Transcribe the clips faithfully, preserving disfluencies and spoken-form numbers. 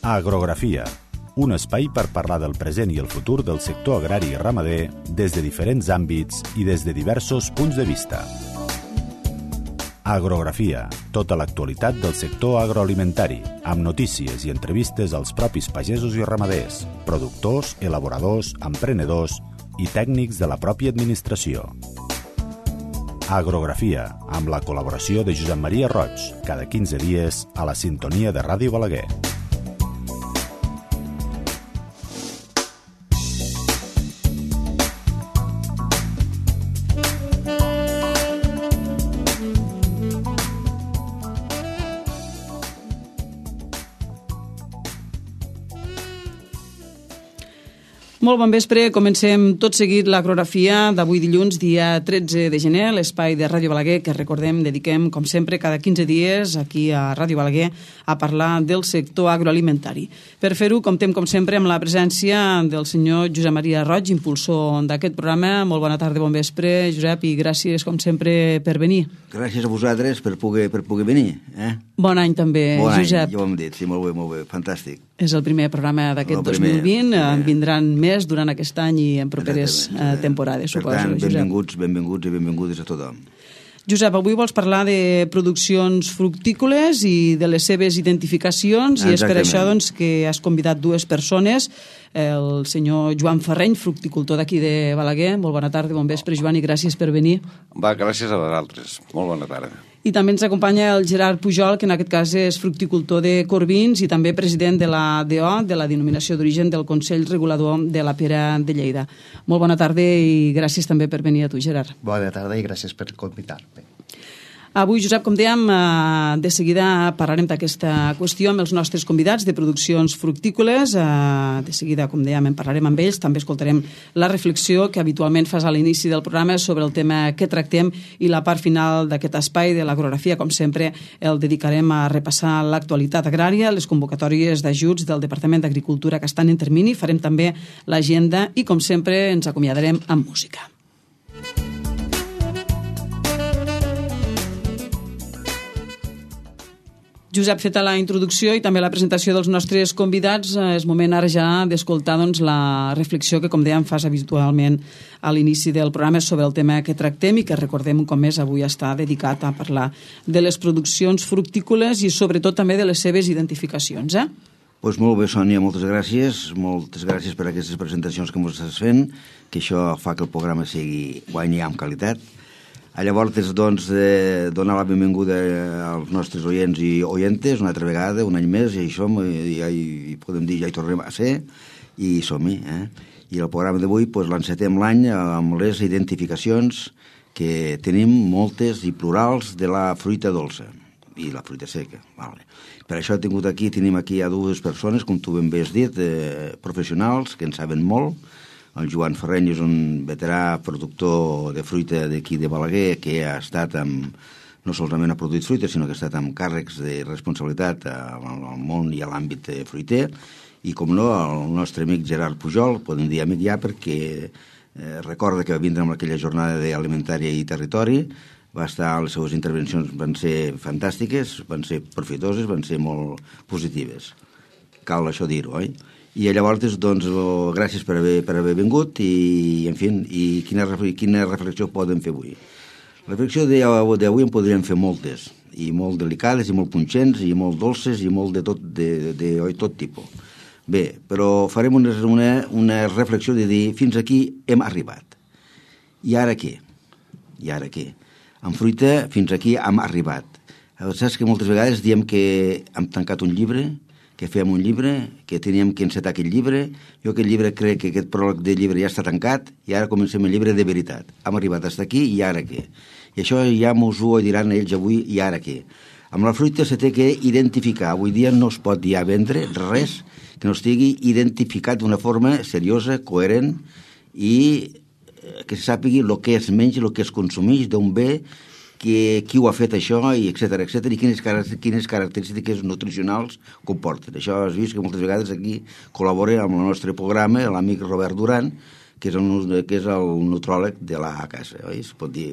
Agrografia, un espai per parlar del present i el futur del sector agrari i ramader des de diferents àmbits i des de diversos punts de vista. Agrografia, tota l'actualitat del sector agroalimentari, amb notícies i entrevistes als propis pagesos i ramaders, productors, elaboradors, emprenedors i tècnics de la pròpia administració. Agrografia, amb la col·laboració de Josep Maria Roig, cada quinze dies a la sintonia de Ràdio Balaguer. Molt bon vespre, comencem tot seguit l'agrografia d'avui dilluns, dia tretze de gener, l'espai de Ràdio Balaguer que recordem, dediquem com sempre cada quinze dies aquí a Ràdio Balaguer a parlar del sector agroalimentari. Per fer-ho comptem com sempre amb la presència del senyor Josep Maria Roig, impulsor d'aquest programa. Molt bona tarda, bon vespre, Josep, i gràcies com sempre per venir. Gràcies a vosaltres per poder, per poder venir. Eh? Bon any també, bon Josep. Bon any, ja ho hem dit, sí, molt bé, molt bé, fantàstic. És el primer programa d'aquest dos mil vint, en vindran més durant aquest any i en properes eh, temporades, per suposo. Per tant, Josep. benvinguts, benvinguts i benvingudes a tothom. Josep, avui vols parlar de produccions fructícoles i de les seves identificacions. Exactament. I és per això doncs, que has convidat dues persones, el senyor Joan Ferreny, fructicultor d'aquí de Balaguer. Molt bona tarda, bon vespre, Joan, i gràcies per venir. Va, gràcies a vosaltres. Molt bona tarda. I també ens acompanya el Gerard Pujol, que en aquest cas és fructicultor de Corbins i també president de la D O, de la denominació d'origen del Consell Regulador de la Pera de Lleida. Molt bona tarda i gràcies també per venir a tu, Gerard. Bona tarda i gràcies per convidar-me. Avui, Josep, com dèiem, de seguida parlarem d'aquesta qüestió amb els nostres convidats de produccions fructícoles. De seguida, com dèiem, en parlarem amb ells. També escoltarem la reflexió que habitualment fas a l'inici del programa sobre el tema que tractem i la part final d'aquest espai de l'agrografia, com sempre, el dedicarem a repassar l'actualitat agrària, les convocatòries d'ajuts del Departament d'Agricultura que estan en termini. Farem també l'agenda i, com sempre, ens acomiadarem amb música. Josep, feta la introducció i també la presentació dels nostres convidats, és moment ara ja d'escoltar doncs, la reflexió que, com dèiem, fas habitualment a l'inici del programa sobre el tema que tractem i que recordem com més avui està dedicat a parlar de les produccions fructícoles i sobretot també de les seves identificacions. Eh? Pues molt bé, Sònia, moltes gràcies. Moltes gràcies per aquestes presentacions que ens estàs fent, que això fa que el programa sigui guanyi amb qualitat. Llavors, doncs, eh, donar la benvinguda als nostres oients i oientes una altra vegada, un any més, i això ja hi podem dir, ja hi tornem a ser, i som-hi. Eh? I el programa d'avui pues, l'encetem l'any amb les identificacions que tenim moltes i plurals de la fruita dolça i la fruita seca. Vale. Per això he tingut aquí, tenim aquí a dues persones, com tu ben bé has dit, eh, professionals, que en saben molt. El Joan Ferreny és un veterà productor de fruita d'aquí de Balaguer que ha estat amb, no solament ha produït fruita, sinó que ha estat amb càrrecs de responsabilitat al món i a l'àmbit fruiter. I, com no, el nostre amic Gerard Pujol, podem dir amic ja perquè eh, recorda que va vindre amb aquella jornada d'alimentària i territori, va estar, les seves intervencions van ser fantàstiques, van ser profitoses, van ser molt positives. Cal això dir-ho, oi? I llavors, doncs, oh, gràcies per haver, per haver vingut i, en fi, i quina, quina reflexió podem fer avui. La reflexió d'avui en podríem fer moltes, i molt delicades, i molt punxents, i molt dolces, i molt de tot, de, de, de tot tipus. Bé, però farem una, una, una reflexió de dir fins aquí hem arribat. I ara què? I ara què? En fruita, fins aquí hem arribat. Saps que moltes vegades diem que hem tancat un llibre, que fèiem un llibre, que teníem que encetar aquest llibre. Jo aquest llibre crec que aquest pròleg de llibre ja està tancat i ara comencem el llibre de veritat. Hem arribat fins aquí i ara què? I això ja mos ho diran ells avui i ara què? Amb la fruita se té que identificar. Avui dia no es pot ja vendre res que no estigui identificat d'una forma seriosa, coherent i que se sàpigui el que es menja, el que es consumeix d'un bé, que, qui ho ha fet això, i etcètera, etcètera, i quines, quines característiques nutricionals comporten. Això has vist que moltes vegades aquí col·labora amb el nostre programa l'amic Robert Duran, que és el, que és el nutròleg de la casa, oi? Es pot dir...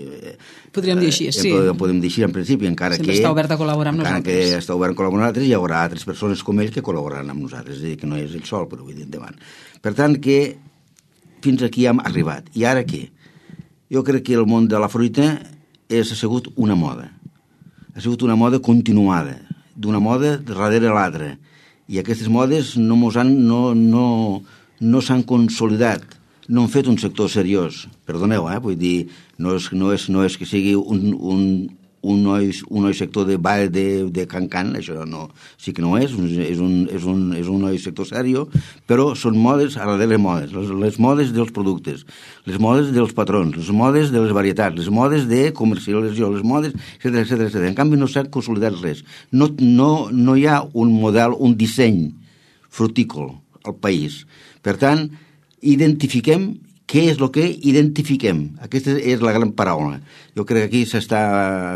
Podríem dir així, sí. Podem, podem dir així en principi, encara Sempre que... està obert a col·laborar amb encara nosaltres. que està obert a col·laborar amb nosaltres, hi haurà altres persones com ell que col·laboraran amb nosaltres, és a dir, que no és ell sol, però vull dir endavant. Per tant, que fins aquí hem arribat. I ara què? Jo crec que el món de la fruita és, ha sigut una moda. Ha sigut una moda continuada, d'una moda darrere l'altra. I aquestes modes no mos han, no, no, no s'han consolidat, no han fet un sector seriós. Perdoneu, eh? Vull dir, no és, no és, no és que sigui un, un, un, noi, un noi sector de ball de, de can-can, això no, sí que no és, és un, és un, és un noi sector seriós, però són modes a darrere modes, les, les modes dels productes, les modes dels patrons, les modes de les varietats, les modes de comercialització, les modes, etcètera, etcètera, etcètera. En canvi no s'ha consolidat res. No, no, no hi ha un model, un disseny frutícola al país. Per tant, identifiquem què és el que identifiquem. Aquesta és la gran paraula. Jo crec que aquí s'està,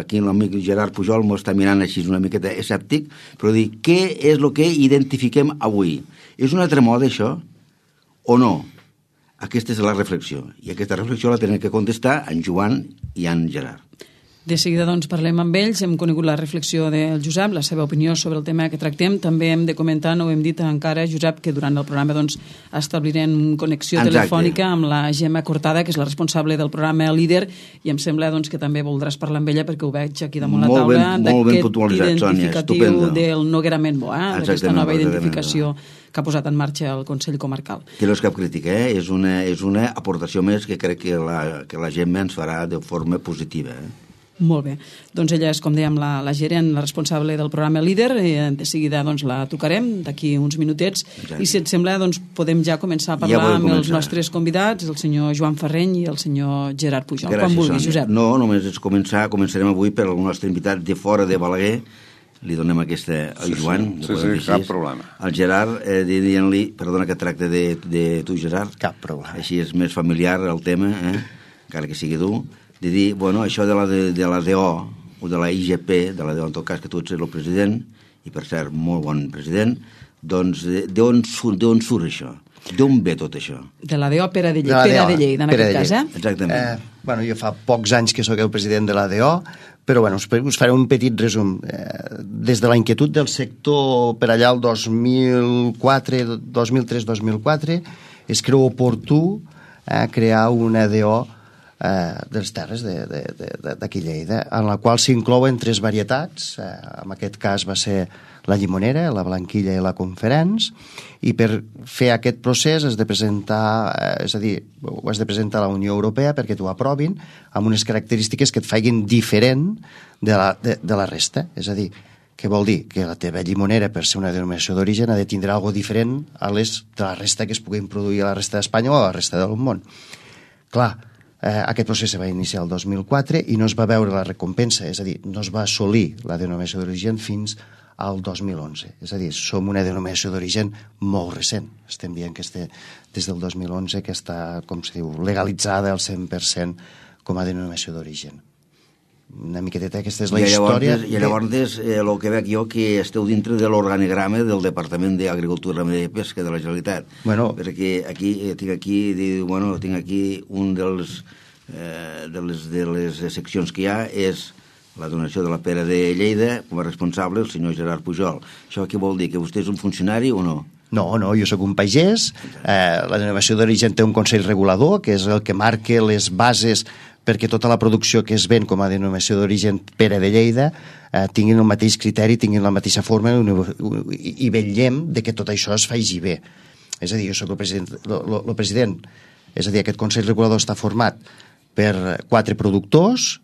aquí l'amic Gerard Pujol m'ho està mirant així una miqueta escèptic, però dir, què és el que identifiquem avui? És una altra moda, això? O no? Aquesta és la reflexió. I aquesta reflexió la tenen que contestar en Joan i en Gerard. De seguida, doncs, parlem amb ells. Hem conegut la reflexió del Josep, la seva opinió sobre el tema que tractem. També hem de comentar, no ho hem dit encara, Josep, que durant el programa doncs, establirem connexió Exacte. telefònica amb la Gemma Cortada, que és la responsable del programa Líder, i em sembla doncs, que també voldràs parlar amb ella, perquè ho veig aquí damunt la Molt taula, ben- molt ben d'aquest puntualitzat, Sònia, identificatiu estupendo. del Noguera Menbo, eh? d'aquesta Exactament, nova exactament. identificació que ha posat en marxa el Consell Comarcal. Que no és cap crítica, eh? és, una, és una aportació més que crec que la, que la Gemma ens farà de forma positiva. Eh? Molt bé. Doncs ella és, com dèiem, la, la gerent, la responsable del programa Líder. I de seguida doncs, la tocarem d'aquí uns minutets. Exacte. I si et sembla, doncs, podem ja començar a parlar Ja podem amb els començar. nostres convidats, el senyor Joan Ferreny i el senyor Gerard Pujol. Gràcies, Quan vulguis, Sònia. Josep. No, només és començar, començarem avui per el nostre invitat de fora de Balaguer. Li donem aquesta al Sí, Joan. sí, li sí, podem sí, dir cap així. problema. Al Gerard, eh, dient-li, perdona que tracte de, de tu, Gerard. Cap problema. Així és més familiar el tema, eh? Encara que sigui dur. De dir, bueno, això de la, de, de la D O, o de la I G P, de la D O, en tot cas que tu ets el president, i per cert, molt bon president, doncs d'on surt, d'on surt això? D'on ve tot això? De la D O Pere de De Lleida, la Pere D O, de Lleida, en Pere aquest de cas, eh? Lleida. Exactament. Eh, bueno, jo fa pocs anys que sóc el president de la D O, però bueno, us, us faré un petit resum. Eh, des de la inquietud del sector per allà el dos mil quatre, dos mil tres dos mil quatre, es creu oportú eh, crear una D O eh, de les terres d'aquí Lleida, en la qual s'inclouen tres varietats. Eh, en aquest cas va ser la llimonera, la blanquilla i la conferència, i per fer aquest procés has de presentar, eh, és a dir, ho has de presentar a la Unió Europea perquè t'ho aprovin amb unes característiques que et facin diferent de la, de, de la resta. És a dir, què vol dir? Que la teva llimonera, per ser una denominació d'origen, ha de tindre algo diferent a les de la resta que es puguin produir a la resta d'Espanya o a la resta del món. Clar, eh, aquest procés se va iniciar el dos mil quatre i no es va veure la recompensa, és a dir, no es va assolir la denominació d'origen fins al dos mil onze. És a dir, som una denominació d'origen molt recent. Estem dient que este, des del dos mil onze que està, com se diu, legalitzada al cent per cent com a denominació d'origen. Una miqueteta, aquesta és la I llavors, història. I llavors eh, el que veig jo que esteu dintre de l'organigrama del Departament d'Agricultura, Ramaderia i Pesca de la Generalitat. Bueno. Perquè aquí, eh, tinc aquí, diu, bueno, tinc aquí un dels, eh, de, les, de les seccions que hi ha és la donació de la Pere de Lleida com a responsable el senyor Gerard Pujol. Això què vol dir? Que vostè és un funcionari o no? No, no, jo sóc un pagès. Eh, la denominació d'origen té un consell regulador, que és el que marca les bases perquè tota la producció que es ven com a denominació d'origen Pere de Lleida eh, tinguin el mateix criteri, tinguin la mateixa forma i, i vetllem de que tot això es faci bé. És a dir, jo sóc el president, el, el president, és a dir, aquest consell regulador està format per quatre productors,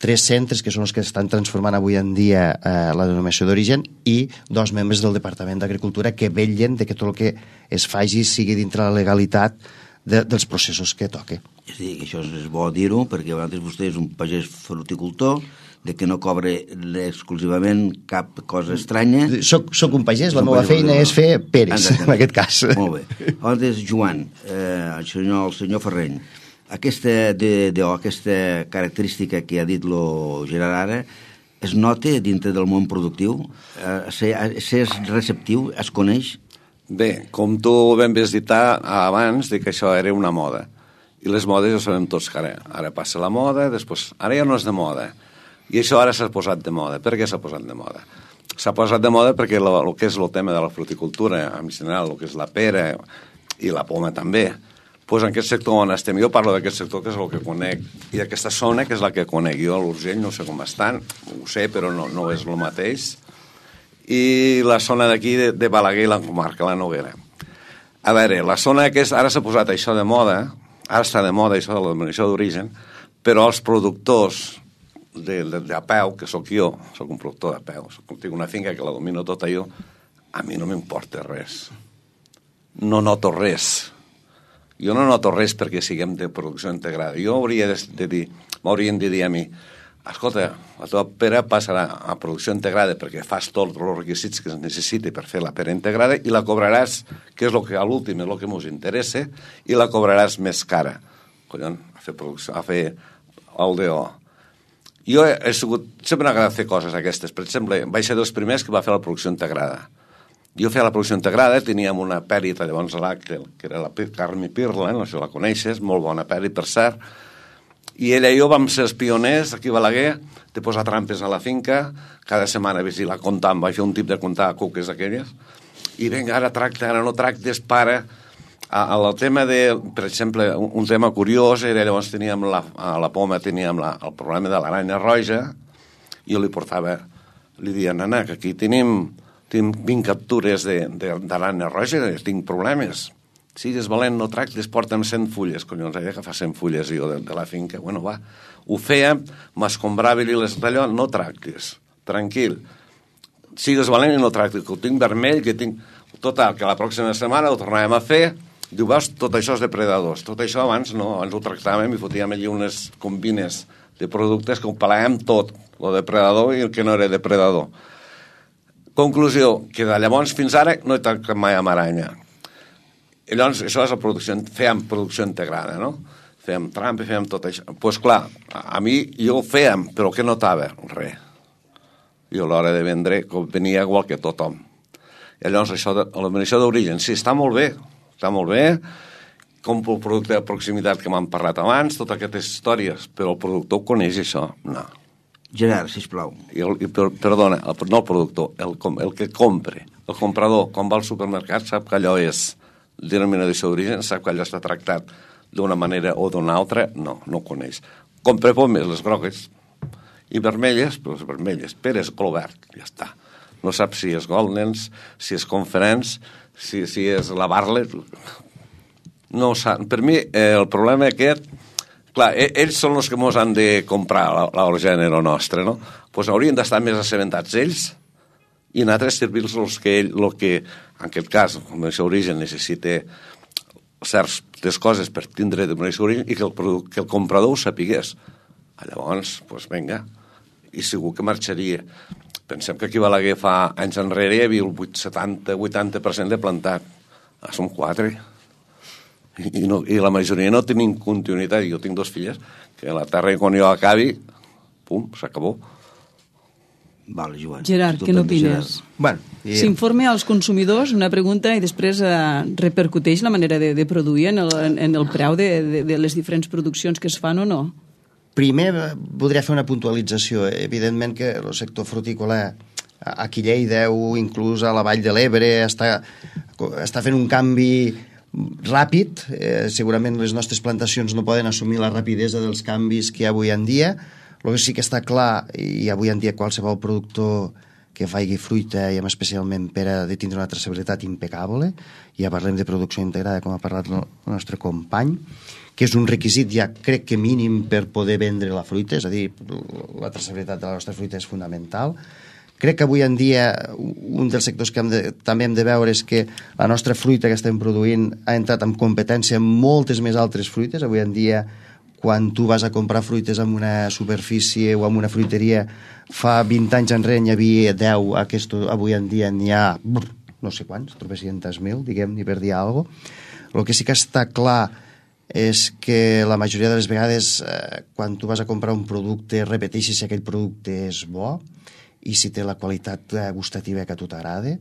tres centres que són els que estan transformant avui en dia eh, la denominació d'origen i dos membres del Departament d'Agricultura que vetllen de que tot el que es faci sigui dintre la legalitat de, dels processos que toque. És a dir, que això és bo dir-ho, perquè a vegades vostè és un pagès fruticultor, de que no cobre exclusivament cap cosa estranya. Soc, soc un pagès, És la un meva pagès, feina no? és fer peres, Exactament. en aquest cas. Molt bé. Llavors, Joan, eh, el, senyor, el senyor Ferreny, aquesta, de, de, aquesta característica que ha dit lo Gerard ara, es nota dintre del món productiu? Eh, ser, ser receptiu? Es coneix? Bé, com tu ben has dit abans, de que això era una moda. I les modes ja sabem tots que ara, ara passa la moda, després, ara ja no és de moda. I això ara s'ha posat de moda. Per què s'ha posat de moda? S'ha posat de moda perquè el, el que és el tema de la fruticultura, en general, el que és la pera i la poma també, doncs en aquest sector on estem, jo parlo d'aquest sector que és el que conec, i d'aquesta zona que és la que conec. Jo a l'Urgell no sé com estan, ho sé, però no, no és el mateix. I la zona d'aquí de, de Balaguer i la comarca, la Noguera. A veure, la zona que és, ara s'ha posat això de moda, ara està de moda això de la denominació d'origen, però els productors de, de, de a peu, que sóc jo, sóc un productor de peu, soc, tinc una finca que la domino tota jo, a mi no m'importa res. No noto res. Jo no noto res perquè siguem de producció integrada. Jo hauria de, de dir, m'haurien de dir a mi, escolta, la teva pera passarà a producció integrada perquè fas tots els requisits que es necessiti per fer la pera integrada i la cobraràs, que és el que a l'últim és el que ens interessa, i la cobraràs més cara. Collons, a fer producció, a fer el D O. Jo he, he sigut, sempre m'ha agradat fer coses aquestes. Per exemple, vaig ser dels primers que va fer la producció integrada. Jo feia la producció integrada, teníem una pèrita llavors a l'Àctel, que era la Carme Pirla, no sé si la coneixes, molt bona pèrita, per cert, i ella i jo vam ser els pioners aquí a Balaguer de posar trampes a la finca, cada setmana vigilar, comptar, vaig fer un tip de comptar cuques aquelles, i vinga, ara tracta, ara no tractes, para. El tema de, per exemple, un tema curiós era, llavors teníem la, a la poma teníem la, el problema de l'aranya roja, i jo li portava, li deia, nana, que aquí tenim, tenim vint captures d'aranya roja, tinc problemes. Sigues valent, no tractes, porta'm cent fulles. Collons, he d'agafar cent fulles jo de, de la finca. Bueno, va, ho fèiem, m'escombrava-li les d'allò, no tractes, tranquil. Sigues valent i no tractes, que ho tinc vermell, que tinc... Total, que la pròxima setmana ho tornàvem a fer, diu, veus, tot això és depredadors. Tot això abans no, abans ho tractàvem i fotíem allí unes combines de productes que ho pelàvem tot, el depredador i el que no era depredador. Conclusió, que de llavors fins ara no he tractat mai amb aranya. I llavors, això és la producció, fèiem producció integrada, no? Fèiem trampa, fèiem tot això. Doncs pues, clar, a mi jo ho fèiem, però què notava? Res. Jo a l'hora de vendre venia igual que tothom. I llavors això de l'eliminació d'origen, sí, està molt bé, està molt bé, compro el producte de proximitat que m'han parlat abans, totes aquestes històries, però el productor coneix això? No. Gerard, sisplau. I el, i, per, perdona, el, no el productor, el, el que compre, el comprador, quan va al supermercat sap que allò és denominació d'origen, sap que allò està tractat d'una manera o d'una altra, no, no ho coneix. Compre pomes, les grogues, i vermelles, però les vermelles, peres, color verd, ja està. No sap si és Goldens, si és Conference, si, si és la Barlet, no ho sap. Per mi, eh, el problema aquest, clar, ells són els que mos han de comprar el gènere nostre, no? Doncs pues haurien d'estar més assabentats ells i nosaltres servir-los el que ell, el que, en aquest cas, com és origen, necessita certes coses per tindre de origen i que el, que el comprador ho sapigués. Llavors, doncs pues, vinga, i segur que marxaria. Pensem que aquí a Balaguer fa anys enrere hi havia el setanta vuitanta per cent de plantat. Ah, som quatre. I, i, no, I la majoria no tenim continuïtat. Jo tinc dos filles, que la terra quan jo acabi, pum, s'acabó. Vale, Joan. Gerard, què n'opines? Bueno, i... S'informa als consumidors una pregunta i després eh, repercuteix la manera de, de produir en el, en el preu de, de, de les diferents produccions que es fan o no? Primer, voldria fer una puntualització. Evidentment que el sector frutícola aquí a Lleida o inclús a la Vall de l'Ebre està, està fent un canvi ràpid. Eh, segurament les nostres plantacions no poden assumir la rapidesa dels canvis que hi ha avui en dia. El que sí que està clar, i avui en dia qualsevol productor que faci fruita, i especialment per a de tindre una traçabilitat impecable, ja parlem de producció integrada, com ha parlat el nostre company, que és un requisit ja crec que mínim per poder vendre la fruita, és a dir, la traçabilitat de la nostra fruita és fonamental. Crec que avui en dia un dels sectors que hem de, també hem de veure és que la nostra fruita que estem produint ha entrat en competència amb moltes més altres fruites. Avui en dia, quan tu vas a comprar fruites en una superfície o en una fruiteria, fa vint anys enrere n'hi havia deu, aquest, avui en dia n'hi ha brr, no sé quants, tropecientos mil, diguem, ni per dir alguna cosa. El que sí que està clar és que la majoria de les vegades eh, quan tu vas a comprar un producte repeteixis si aquell producte és bo i si té la qualitat gustativa que a tu t'agrada.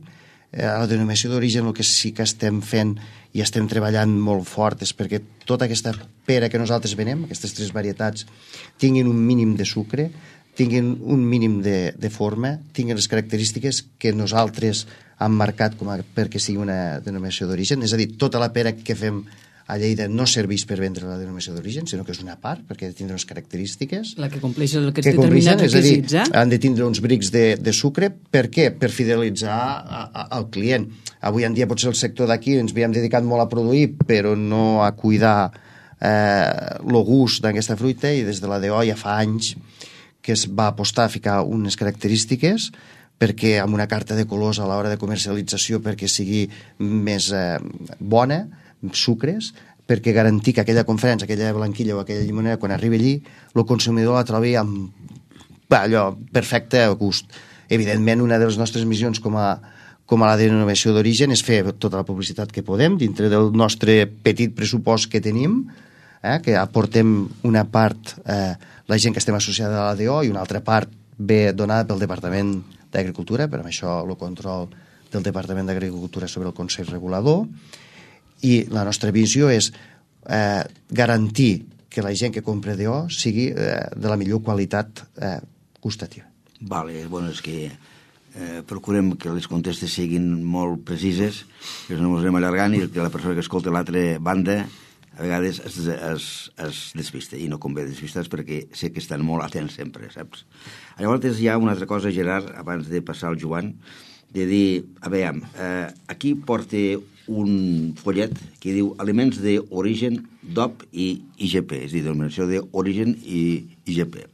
a la denominació d'origen el que sí que estem fent i estem treballant molt fort és perquè tota aquesta pera que nosaltres venem, aquestes tres varietats, tinguin un mínim de sucre, tinguin un mínim de, de forma, tinguin les característiques que nosaltres hem marcat com a, perquè sigui una denominació d'origen. És a dir, tota la pera que fem a Lleida no serveix per vendre la denominació d'origen, sinó que és una part, perquè ha de tindre unes característiques. La que compleix aquests determinats requisits, eh? Han de tindre uns brics de, de sucre. Per què? Per fidelitzar a, a, al client. Avui en dia potser el sector d'aquí ens havíem dedicat molt a produir, però no a cuidar eh, el gust d'aquesta fruita, i des de la D O ja fa anys que es va apostar a ficar unes característiques perquè amb una carta de colors a l'hora de comercialització perquè sigui més eh, bona, sucres, perquè garantir que aquella conferència, aquella blanquilla o aquella llimonera, quan arribi allí, el consumidor la trobi amb allò, perfecte gust. Evidentment, una de les nostres missions com a, com a la denominació d'origen és fer tota la publicitat que podem dintre del nostre petit pressupost que tenim, eh, que aportem una part, eh, la gent que estem associada a la D O, i una altra part ve donada pel Departament d'Agricultura, per això el control del Departament d'Agricultura sobre el Consell Regulador. I la nostra visió és eh, garantir que la gent que compra D O sigui eh, de la millor qualitat eh, gustativa. Vale, bueno, és que eh, procurem que les contestes siguin molt precises, que no ens anem allargant i que la persona que escolta l'altra banda a vegades es, es, es despista, i no convé despistar perquè sé que estan molt atents sempre, saps? Llavors hi ha una altra cosa, Gerard, abans de passar al Joan, de dir, a veure, eh, aquí porta un follet que diu aliments d'origen D O P i I G P, és a dir, denominació d'origen i I G P.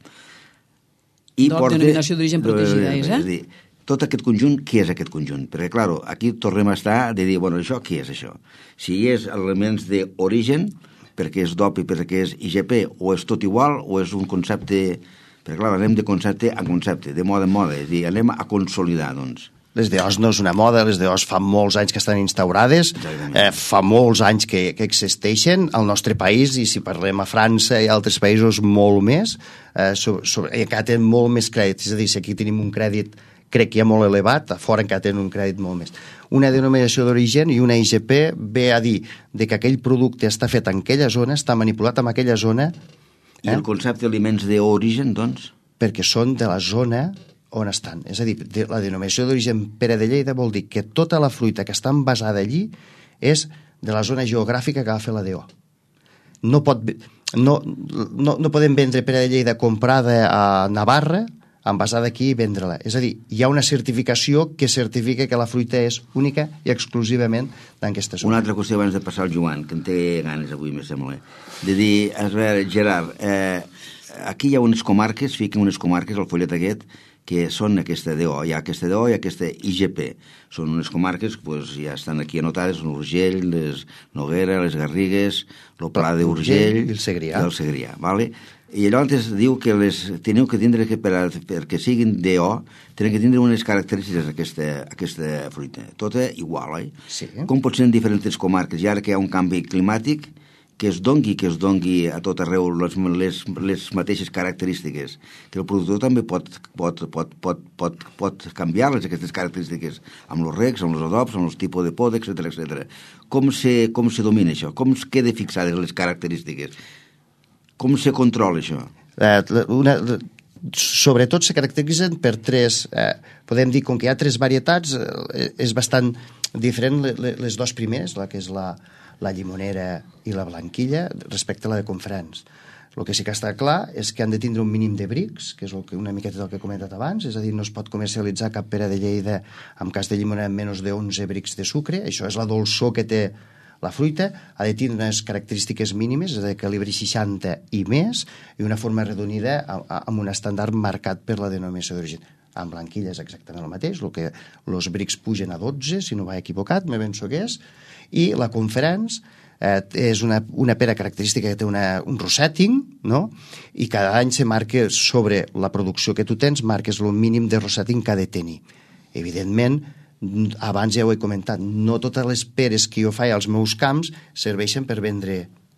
D O P, denominació d'origen protegida, és, eh? És a dir, tot aquest conjunt, què és aquest conjunt? Perquè, clar, aquí tornem a estar de dir, bueno, això, què és això? Si és elements d'origen, perquè és D O P i perquè és I G P, o és tot igual, o és un concepte... Perquè, clar, anem de concepte a concepte, de moda en moda, és a dir, anem a consolidar, doncs. Les D Os no és una moda, les D Os fa molts anys que estan instaurades, eh, fa molts anys que, que existeixen al nostre país, i si parlem a França i altres països molt més, eh, sobre, sobre, i encara tenen molt més crèdit, és a dir, si aquí tenim un crèdit crec que ja molt elevat, a fora encara tenen un crèdit molt més. Una denominació d'origen i una I G P ve a dir de que aquell producte està fet en aquella zona, està manipulat en aquella zona. Eh? I el concepte d'aliments d'origen, doncs? Perquè són de la zona on estan. És a dir, la denominació d'origen Pere de Lleida vol dir que tota la fruita que està envasada allí és de la zona geogràfica que va fer la D O. No, pot, no, no, no podem vendre Pere de Lleida comprada a Navarra, envasada aquí i vendre-la. És a dir, hi ha una certificació que certifica que la fruita és única i exclusivament d'aquesta zona. Una altra qüestió abans de passar al Joan, que en té ganes avui, me sembla. De dir, a veure, Gerard, eh, aquí hi ha unes comarques, fiquen unes comarques al follet aquest, que són aquesta D O, hi ha aquesta D O i aquesta I G P. Són unes comarques que pues, ja estan aquí anotades, l'Urgell, les Noguera, les Garrigues, el Pla d'Urgell i el Segrià. I el Segrià, vale? I llavors diu que les teniu que tindre, que per, perquè siguin D O, tenen que tindre unes característiques aquesta, aquesta fruita. Tota igual, oi? Sí. Com pot ser en diferents comarques? I ara que hi ha un canvi climàtic, que es dongui, que es dongui a tot arreu les, les, les mateixes característiques, que el productor també pot, pot, pot, pot, pot, pot canviar-les, aquestes característiques, amb els recs, amb els adobs, amb els tipus de pot, etcètera, etcètera. Com se, com se domina això? Com es queda fixades les característiques? Com se controla això? Eh, una, sobretot se caracteritzen per tres, eh, podem dir, com que hi ha tres varietats, eh, és bastant diferent les, les dues primeres, la que és la la llimonera i la blanquilla, respecte a la de Confrans. El que sí que està clar és que han de tindre un mínim de brics, que és el que, una miqueta del que he comentat abans, és a dir, no es pot comercialitzar cap pera de Lleida en cas de llimonera amb menys d'onze brics de sucre, això és la dolçor que té la fruita, ha de tindre unes característiques mínimes, és de calibre seixanta i més, i una forma arredonida amb un estàndard marcat per la denominació d'origen. Amb blanquilla és exactament el mateix, el que els brics pugen a dotze, si no vaig equivocat, me penso que és, i la Conference eh, és una, una pera característica que té una, un rosetting, no? I cada any se marca sobre la producció que tu tens, marques el mínim de rosetting que ha de tenir. Evidentment, abans ja ho he comentat, no totes les peres que jo faig als meus camps serveixen per vendre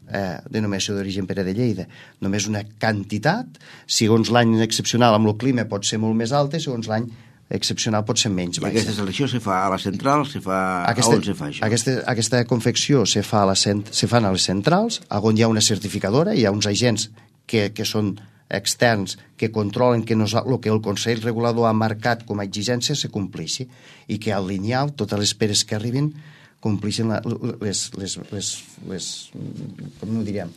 eh, denominació d'origen Pere de Lleida. Només una quantitat, segons l'any excepcional amb el clima pot ser molt més alta, segons l'any excepcional pot ser menys I baixa. aquesta selecció se fa a la central, se fa... Aquesta, a on se fa això? Aquesta, aquesta confecció se fa, a la cent, se fan a les centrals, on hi ha una certificadora, hi ha uns agents que, que són externs que controlen que nos, el que el Consell Regulador ha marcat com a exigència se compleixi i que al lineal totes les peres que arribin compleixin la, les, les, les, les, com ho diríem,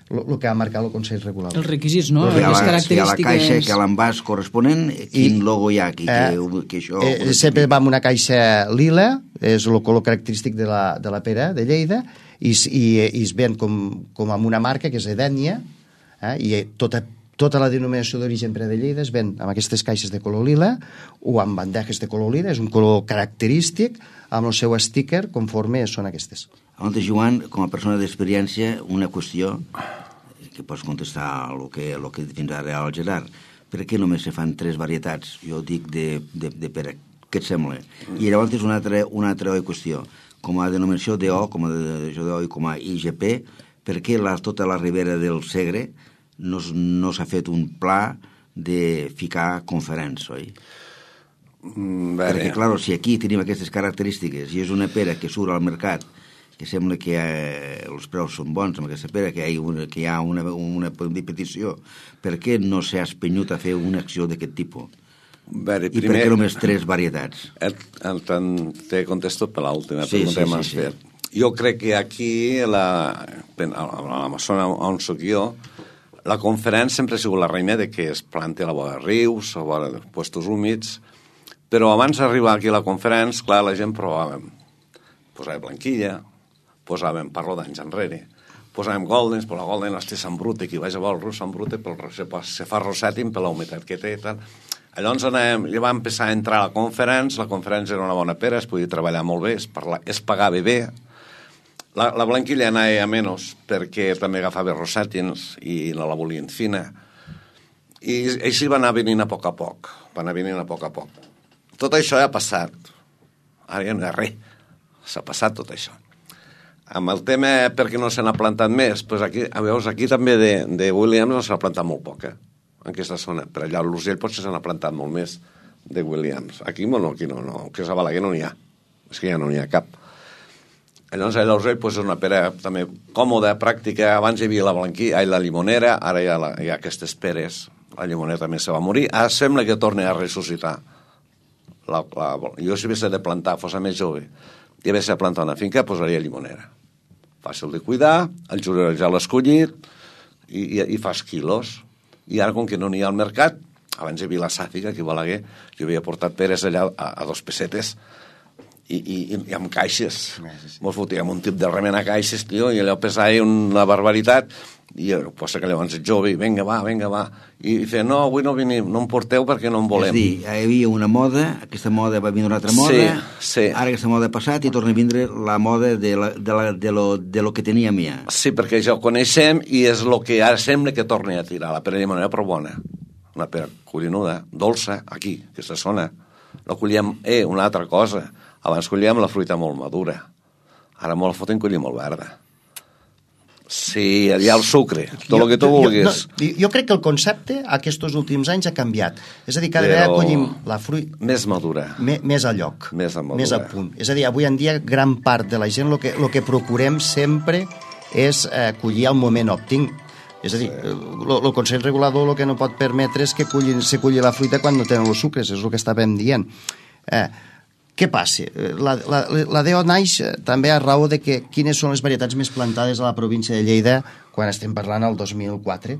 el que ha marcat el Consell Regulador. Els requisits, no? Si les a la, característiques... Si a la caixa que a l'envàs corresponent, quin I, logo hi ha aquí? Eh, que, que això... eh, sempre va amb una caixa lila, és el color característic de la, de la pera de Lleida, i, i, i es ven com, com amb una marca que és Edènia, eh, i tota Tota la denominació d'origen pera de Lleida es ven amb aquestes caixes de color lila o amb bandejes de color lila, és un color característic amb el seu sticker conforme són aquestes. Abans, Joan, com a persona d'experiència, una qüestió que pots contestar el que, el que fins ara al Gerard. Per què només se fan tres varietats? Jo dic de, de, de pera. Què et sembla? I llavors és una altra, una altra qüestió. Com a denominació D O, com a denominació D O i com a I G P, per què la, tota la ribera del Segre no, no s'ha fet un pla de ficar conferents, oi? Mm, perquè, clar, si aquí tenim aquestes característiques i és una pera que surt al mercat que sembla que eh, els preus són bons amb aquesta pera, que hi ha una, que hi ha una, una petició, per què no s'ha espenyut a fer una acció d'aquest tipus? Veure, I primer, per què només tres varietats? El, el, te contesto per l'última sí, pregunta sí, que m'has sí, fet. Sí. Jo crec que aquí, la, a la zona on soc jo, la conferència sempre ha sigut la reina de que es planta a la vora de rius, a la vora de puestos húmids, però abans d'arribar aquí a la conferència, clar, la gent provàvem. Posàvem blanquilla, posàvem, parlo d'anys enrere, posàvem goldens, però la golden és Sant Brute, qui vaig a veure el Sant Brute, però se, se fa rosètim per la humitat que té i tal. Llavors anem, ja vam empezar a entrar a la conferència, la conferència era una bona pera, es podia treballar molt bé, es, parla, es pagava bé. La, la blanquilla anava a menys perquè també agafava rosàtins i la, la volien fina. I així va anar venint a poc a poc. Va anar venint a poc a poc. Tot això ja ha passat. Ara ja no hi ha res. S'ha passat tot això. Amb el tema per què no se n'ha plantat més, doncs aquí, veus, aquí també de, de Williams s'ha plantat molt poc, eh? En aquesta zona. Per allà l'Urgell potser se n'ha plantat molt més de Williams. Aquí no, aquí no, no. Que a Balaguer no n'hi ha. És que ja no n'hi ha cap. Llavors, a l'Urgell pues, és una pera també còmoda, pràctica. Abans hi havia la blanquilla, ai, la limonera, ara hi ha, la, hi ha aquestes peres. La limonera també se va morir. Ara sembla que torni a ressuscitar. La, la, jo, si hagués de plantar, fos més jove, i hagués de plantar una finca, posaria limonera. Fàcil de cuidar, el jugador ja l'ha escollit, i, i, i fas quilos. I ara, com que no n'hi ha al mercat, abans hi havia la Sàfiga, aquí a Balaguer, jo havia portat peres allà a, a dos pessetes, I, i, i amb caixes. Sí, sí. Mos fotíem un tip de remenar caixes, tio, i allò pesava una barbaritat, i posa que llavors és jove, i vinga, va, vinga, va. I, i feia, no, avui no venim, no em porteu perquè no en volem. És dir, hi havia una moda, aquesta moda va vindre una altra moda, sí, sí. Ara aquesta moda ha passat i torna a vindre la moda de, la, de, la, de, lo, de lo que teníem ja. Sí, perquè ja ho coneixem i és el que ara sembla que torni a tirar. La pera llimonera però bona. Una pera collinuda, dolça, aquí, aquesta zona. No collíem, eh, una altra cosa. Abans collíem la fruita molt madura. Ara molt la foten collir molt verda. Sí, hi ha el sucre, tot el que tu vulguis. Jo, no, jo crec que el concepte aquests últims anys ha canviat. És a dir, cada vegada collim la fruita... Més madura. Me, més a lloc. Més a madura. Més a punt. És a dir, avui en dia gran part de la gent el que, lo que procurem sempre és eh, collir al moment òptim. És a dir, sí. el, el Consell Regulador el que no pot permetre és que cullin, se culli la fruita quan no tenen els sucres, és el que estàvem dient. Eh, què passa? La, la, la D O naix també a raó de que quines són les varietats més plantades a la província de Lleida quan estem parlant al dos mil quatre.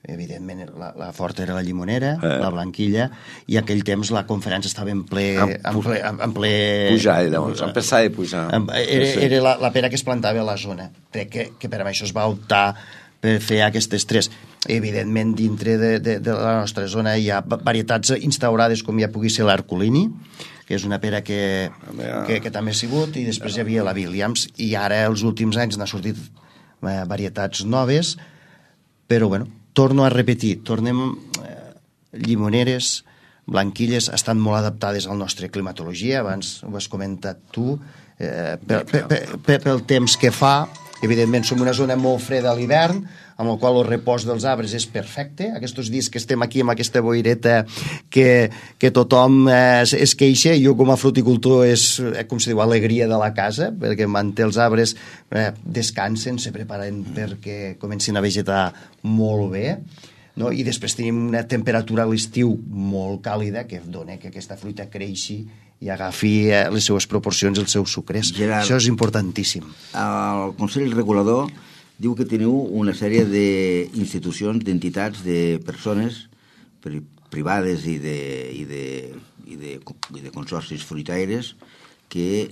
Evidentment, la, la forta era la llimonera, eh. la blanquilla, i aquell temps la conferència estava en ple... En ple, en ple pujar, llavors, empezar a pujar. Era, era la, la pera que es plantava a la zona. Crec que, que per això es va optar per fer aquestes tres. Evidentment, dintre de, de, de la nostra zona hi ha varietats instaurades com ja pugui ser l'Arcolini, que és una pera que, que, que també ha sigut, i després hi havia la Williams, i ara els últims anys n'ha sortit eh, varietats noves, però bueno, torno a repetir, tornem eh, llimoneres, blanquilles, estan molt adaptades a la nostra climatologia, abans ho has comentat tu, eh, pel, pel, pel, pel temps que fa, Evidentment, som una zona molt freda a l'hivern, amb el qual el repòs dels arbres és perfecte. Aquests dies que estem aquí amb aquesta boireta que, que tothom eh, es, es queixa, jo com a fruticultor és, eh, com se diu, alegria de la casa, perquè manté els arbres eh, descansen, se preparen perquè comencin a vegetar molt bé. No? I després tenim una temperatura a l'estiu molt càlida que dona que aquesta fruita creixi i agafi eh, les seues proporcions, els seus sucres. Gerard, això és importantíssim. El Consell Regulador diu que teniu una sèrie d'institucions, d'entitats, de persones privades i de, i de, i de, i de consorcis fruitaires que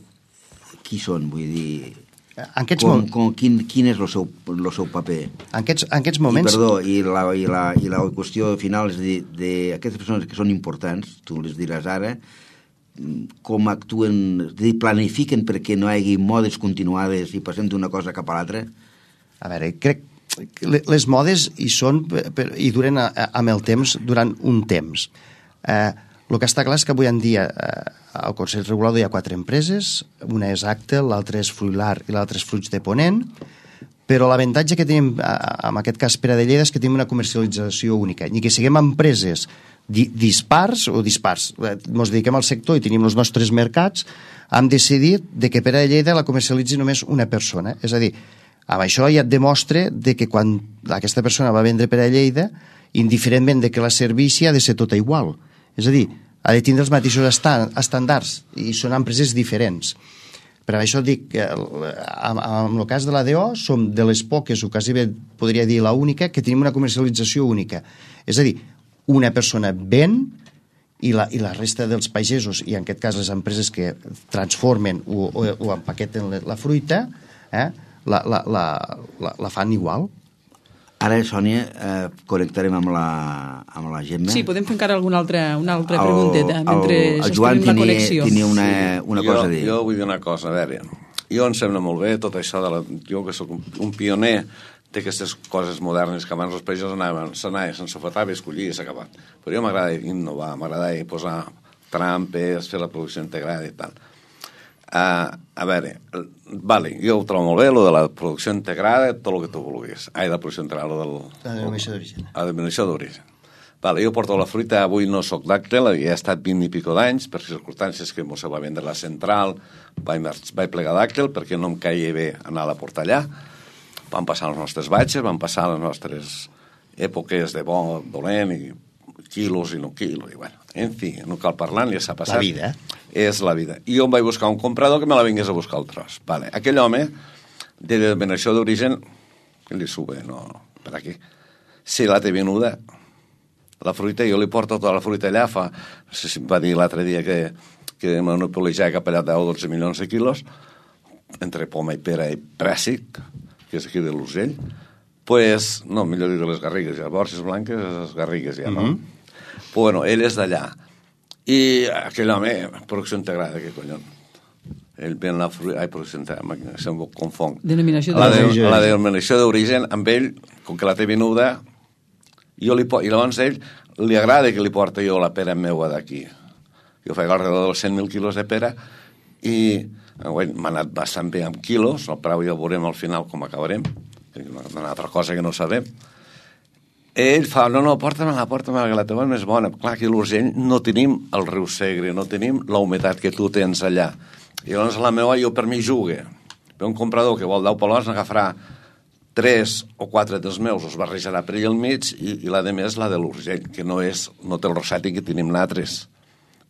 qui són? Vull dir, en aquests com, com, quin, quin és el seu, el seu paper? En aquests, en aquests moments... I, perdó, i la, i, la, i la qüestió final és de, de aquestes persones que són importants, tu les diràs ara, com actuen, planifiquen perquè no hi hagi modes continuades i passem d'una cosa cap a l'altra? A veure, crec que les modes hi són i duren amb el temps, durant un temps. Eh, el que està clar és que avui en dia eh, al Consell Regulador hi ha quatre empreses, una és Actel, l'altra és Fruilar i l'altra és Fruits de Ponent, però l'avantatge que tenim en aquest cas Pere de Lleida és que tenim una comercialització única, ni que siguem empreses dispars o dispars. Ens dediquem al sector i tenim els nostres mercats, hem decidit de que Pere de Lleida la comercialitzi només una persona. És a dir, amb això ja et demostra de que quan aquesta persona va vendre Pere de Lleida, indiferentment de que la servissi ha de ser tota igual. És a dir, ha de tindre els mateixos estàndards i són empreses diferents. Per això dic que en el cas de l'A D O som de les poques, o quasi bé podria dir l'única, que tenim una comercialització única. És a dir, una persona ven i la, i la resta dels pagesos, i en aquest cas les empreses que transformen o, o, o empaqueten la, la fruita, eh, la, la, la, la, la fan igual. Ara, Sònia, eh, connectarem amb la, amb la Gemma. Sí, podem fer encara alguna altra, una altra el, pregunteta mentre el, el Joan la connexió. tenia una, una jo, cosa a dir. Jo vull dir una cosa, a veure, jo em sembla molt bé tot això, de la, jo que sóc un, un pioner d'aquestes coses modernes que abans els països anaven, s'anaven, se'n sofotava i escollia i s'ha acabat. Però jo m'agrada innovar, m'agrada posar trampes, fer la producció integrada i tal. Uh, a veure, vale, jo ho trobo molt bé, lo de la producció integrada, tot el que tu vulguis. Ai, la producció integrada, lo del... La denominació d'origen. La denominació d'origen. Vale, jo porto la fruita, avui no soc d'Actel, he estat vint i pico d'anys, per circumstàncies que mos va vendre la central, vaig, vaig plegar d'Actel perquè no em caia bé anar a portar allà. Van passar les nostres batxes, van passar les nostres èpoques de bo, dolent, i quilos i no quilos, i bueno, en fi, no cal parlar, ja s'ha passat. La vida. És la vida. I jo em vaig buscar un comprador que me la vingués a buscar el tros. Vale. Aquell home, de denominació d'origen, que li sube, no, per aquí, si la té venuda, la fruita, jo li porto tota la fruita allà, fa, no sé si em va dir l'altre dia que, que monopolitzava cap allà deu o dotze milions de quilos, entre poma i pera i prèssic, que és aquí de l'Urgell, pues, no, millor dir de les Garrigues, ja, borges blanques, les Garrigues ja, no? Mm-hmm. Pues, bueno, ell és d'allà. I aquell home, producció integrada, què collons? Ell ven la fruita, ai, producció integrada, se'm confong. Denominació d'origen. La, de, la denominació d'origen, amb ell, com que la té venuda, jo li, i llavors ell li agrada que li porta jo la pera meua d'aquí. Jo faig alrededor dels cent mil quilos de pera i m'ha anat bastant bé amb quilos, no prou, ja veurem al final com acabarem, una altra cosa que no sabem. Ell fa, no, no, porta-me-la, porta-me-la, que la teva és més bona. Clar, aquí a l'Urgell no tenim el riu Segre, no tenim la humitat que tu tens allà. I llavors la meva jo per mi jugue. Ve un comprador que vol deu palons, n'agafarà tres o quatre dels meus, els barrejarà per allà al mig, i, i la de més la de l'Urgell, que no és, no té el rosati que tenim nosaltres.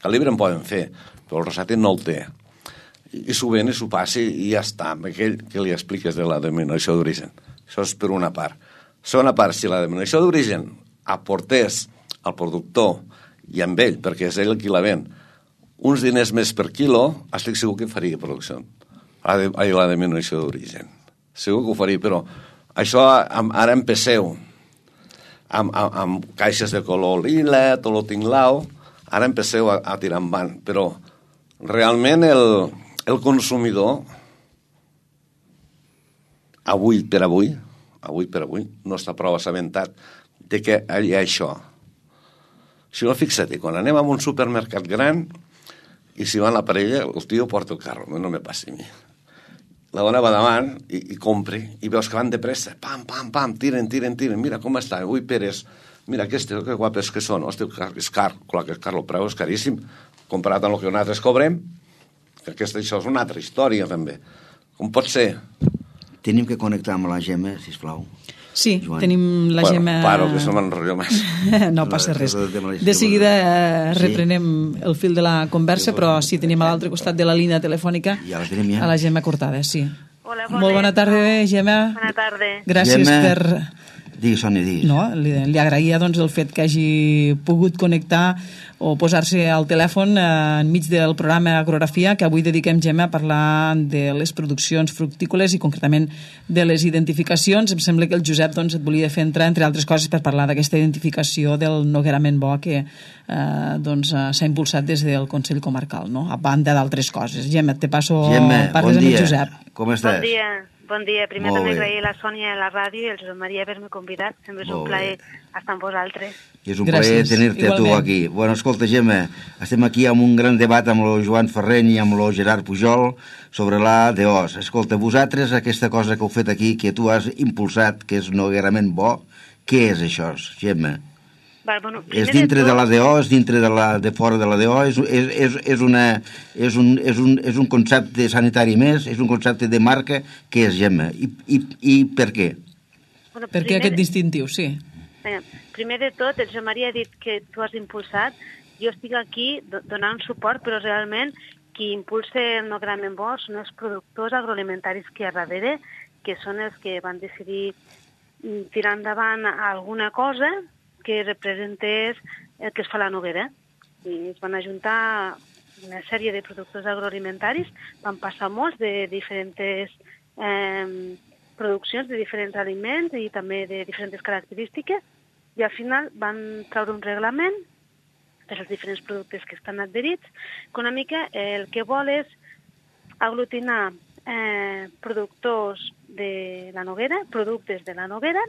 Calibre en poden fer, però el rosati no el té. I, i s'ho ven i s'ho passi i ja està, amb aquell que li expliques de la denominació d'origen. Això és per una part. Segona part, si la denominació d'origen aportés al productor i amb ell, perquè és ell qui la ven, uns diners més per quilo, estic segur que faria producció. La, de, la denominació d'origen. Segur que ho faria, però això ara empeceu amb, amb, amb caixes de color lila, tot lo tinglau, ara empeceu a, a tirar endavant, però realment el, el consumidor avui per avui avui per avui, no està prou assabentat de que hi ha això. Si no, fixa't, quan anem a un supermercat gran i si va en la parella, el tio porta el carro, no me passi a mi. la dona va davant i, i compre, i veus que van de pressa, pam, pam, pam, tiren, tiren, tiren, mira com està, ui, peres, mira aquestes, que guapes que són, hosti, és car, clar que és car, el preu és caríssim, comparat amb el que nosaltres cobrem, que aquesta, això és una altra història, també. Com pot ser? Tenim que connectar amb la Gemma, sisplau. Sí, Joan. tenim la bueno, Gemma... Paro, que se m'enrotllo més. No passa res. De seguida eh, reprenem el fil de la conversa, però sí, tenim a l'altre costat de la línia telefònica Ja la tenim, ja. a la Gemma Cortada, sí. Hola, bona. Molt bona tarda, Gemma. Bona tarda. Gràcies Gemma, per... Digues, Sònia, digues. No, li, li agraïa doncs, el fet que hagi pogut connectar o posar-se al telèfon eh, enmig del programa Agrografia, que avui dediquem, Gemma, a parlar de les produccions fructícoles i concretament de les identificacions. Em sembla que el Josep doncs, et volia fer entrar, entre altres coses, per parlar d'aquesta identificació del noguerament bo que eh, doncs, eh, s'ha impulsat des del Consell Comarcal, no? A banda d'altres coses. Gemma, te passo... Gemma, parles bon amb dia. el Josep. Com estàs? Bon dia. Bon dia. Primer Molt també bé. agrair a la Sònia a la ràdio i el Josep Maria haver-me convidat. Sempre és un Molt plaer bé. estar amb vosaltres. I és un Gràcies. plaer tenir-te a tu Igualment. aquí. Bueno, escolta, Gemma, estem aquí amb un gran debat amb el Joan Ferreny i amb el Gerard Pujol sobre la D O S. Escolta, vosaltres, aquesta cosa que heu fet aquí, que tu has impulsat, que és noguerament bo, què és això, Gemma? Val, bueno, És primer dintre tot, de la D O, és dintre de, la, de fora de la D O, és, és, és, és, una, és, un, és, un, és un concepte sanitari més, és un concepte de marca, què és, Gemma? I, i, i per què? Bueno, Per què primer- aquest distintiu, sí? Vinga, primer de tot, el Josep Maria ha dit que tu has impulsat. Jo estic aquí do- donant suport, però realment qui impulsa el noguerament bo són els productors agroalimentaris que hi ha darrere, que són els que van decidir mm, tirar endavant alguna cosa que representés el que es fa a la noguera. I es van ajuntar una sèrie de productors agroalimentaris, van passar molts de diferents eh, produccions, de diferents aliments i també de diferents característiques, i al final van treure un reglament per als diferents productes que estan adherits, que una mica el que vol és aglutinar eh, productors de la noguera, productes de la noguera,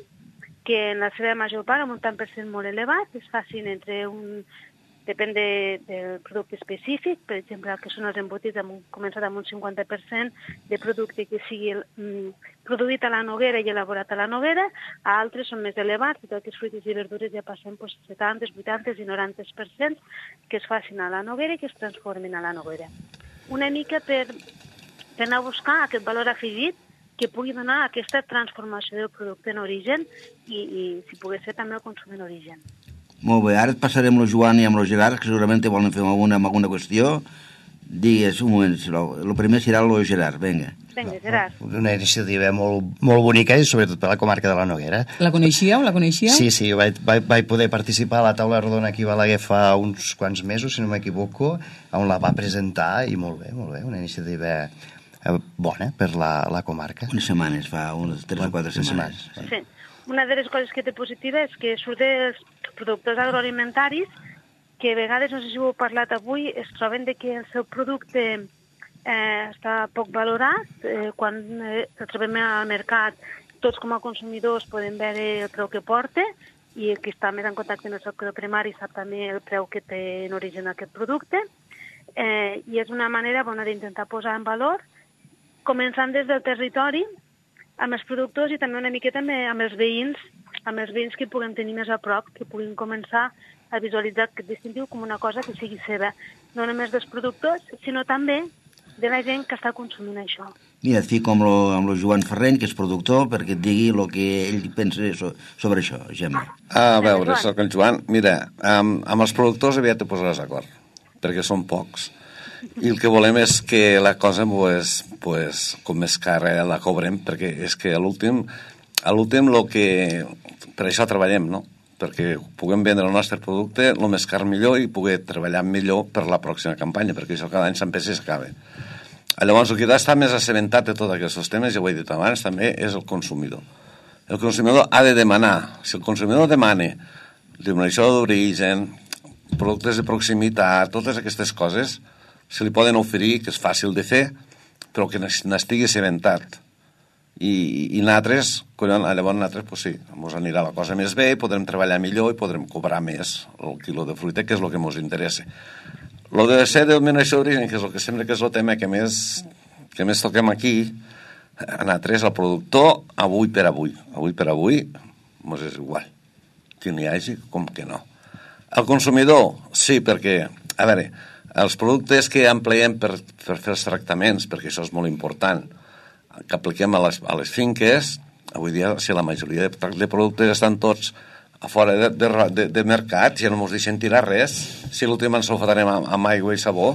que en la seva major part, amb un tant per cent molt elevat, es facin entre un... Depèn de, del producte específic, per exemple, el que són els embotits, hem començat amb un cinquanta per cent de producte que sigui mm, produït a la noguera i elaborat a la noguera, a altres són més elevats, i tot que els fruits i verdures ja passen pues, setanta, vuitanta i noranta per cent que es facin a la noguera i que es transformin a la noguera. Una mica per, per anar a buscar aquest valor afegit que pugui donar aquesta transformació del producte en origen i, i si pogués ser també el consum en origen. Molt bé, ara et passarem el Joan i amb el Gerard, que segurament te volen fer alguna, alguna qüestió. Digues, un moment, sisplau. El primer serà el Gerard, vinga. Vinga, Gerard. Una iniciativa molt, molt bonica i sobretot per la comarca de la Noguera. La coneixíeu? La coneixíeu? Sí, sí, vaig, vaig, vaig poder participar a la taula rodona aquí a Balaguer fa uns quants mesos, si no m'equivoco, on la va presentar i molt bé, molt bé, una iniciativa eh, bona per la, la comarca. Unes setmanes, fa unes tres o quatre setmanes. Sí. Una de les coses que té positiva és que surt dels productors agroalimentaris que a vegades, no sé si ho heu parlat avui, es troben de que el seu producte eh, està poc valorat. Eh, quan eh, el trobem al mercat, tots com a consumidors podem veure el preu que porta i el que està més en contacte amb el sector primari sap també el preu que té en origen aquest producte. Eh, I és una manera bona d'intentar posar en valor, començant des del territori, amb els productors i també una miqueta amb, amb els veïns, amb els veïns que puguem tenir més a prop, que puguin començar a visualitzar aquest distintiu com una cosa que sigui seva, no només dels productors, sinó també de la gent que està consumint això. Mira, et fico amb lo, amb lo Joan Ferreny, que és productor, perquè et digui el que ell pensa so, sobre això, Gemma. A veure, soc el Joan. Mira, amb, amb els productors aviat te posaràs d'acord, perquè són pocs. I el que volem és que la cosa, pues, pues, com més cara la cobrem, perquè és que a l'últim, a l'últim lo que... Per això treballem, no? Perquè puguem vendre el nostre producte el més car millor i poder treballar millor per la pròxima campanya, perquè això cada any s'empesa i s'acaba. Llavors, el que està més assabentat de tots aquests temes, ja ho he dit abans, també és el consumidor. El consumidor ha de demanar. Si el consumidor demana denominació d'origen, productes de proximitat, totes aquestes coses, se li poden oferir, que és fàcil de fer, però que n'estigui assabentat. I, i nosaltres, collons, llavors nosaltres, pues sí, ens anirà la cosa més bé, podrem treballar millor i podrem cobrar més el quilo de fruita, que és el que ens interessa. Lo de ser denominació d'origen, que és el que sembla que és el tema que més, que més toquem aquí, A nosaltres, el productor, avui per avui, avui per avui, mos és igual. Que n'hi hagi com que no. El consumidor, sí, perquè, a veure, els productes que empleem per, per fer els tractaments, perquè això és molt important, que apliquem a les, a les finques, avui dia, si la majoria de, de productes estan tots a fora de, de, de, de mercat, ja no ens deixen tirar res, si l'últim ens ho farem amb, amb aigua i sabó,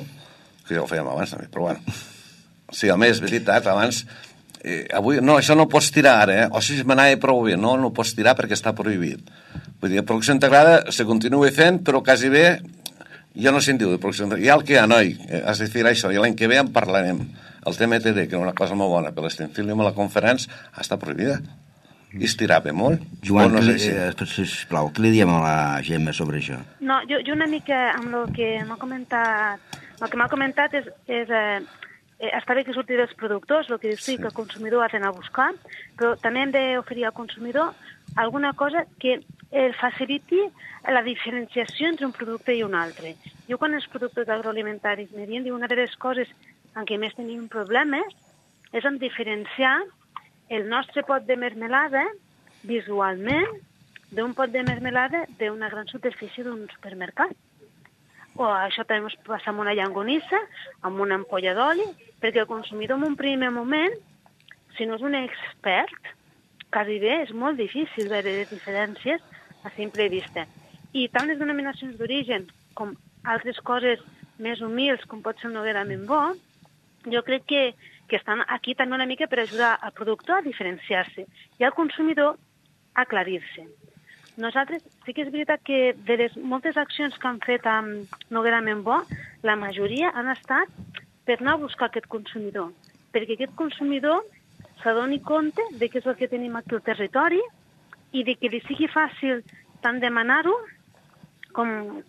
que ja ho fèiem abans també, però bueno. Sí, a més, veritat, abans, eh, avui, no, això no ho pots tirar ara, eh? O si m'anava prou bé, no, no ho pots tirar perquè està prohibit. Vull dir, producció integrada se continua fent, però quasi bé, jo no se'n diu de producció integrada. Hi ha el que hi ha, noi, has de fer això, i l'any que ve en parlarem. El T M T D, que era una cosa molt bona, per l'Stenfilium a la conferència, està prohibida. I es tirava molt. Joan, no que, sé si... eh, sisplau, què li diem a la Gemma sobre això? No, jo, jo una mica amb el que m'ha comentat, el que m'ha comentat és, és eh, està bé que surti dels productors, el que dius sí, que el consumidor ha d'anar a buscar, però també hem d'oferir al consumidor alguna cosa que el faciliti la diferenciació entre un producte i un altre. Jo quan els productes agroalimentaris me diuen, una de les coses en què més tenim problemes és en diferenciar el nostre pot de mermelada visualment d'un pot de mermelada d'una gran superfície d'un supermercat. O això també ens passa amb una llangonissa, amb una ampolla d'oli, perquè el consumidor en un primer moment, si no és un expert, quasi bé és molt difícil veure les diferències a simple vista. I tant les denominacions d'origen com altres coses més humils, com pot ser el Noguera Membó, jo crec que que estan aquí també una mica per ajudar al productor a diferenciar-se i al consumidor a aclarir-se. Nosaltres, sí que és veritat que de les moltes accions que han fet amb Noguera Membó, la majoria han estat per anar a buscar aquest consumidor, perquè aquest consumidor s'adoni compte de què és el que tenim aquí al territori i de que li sigui fàcil tant demanar-ho com,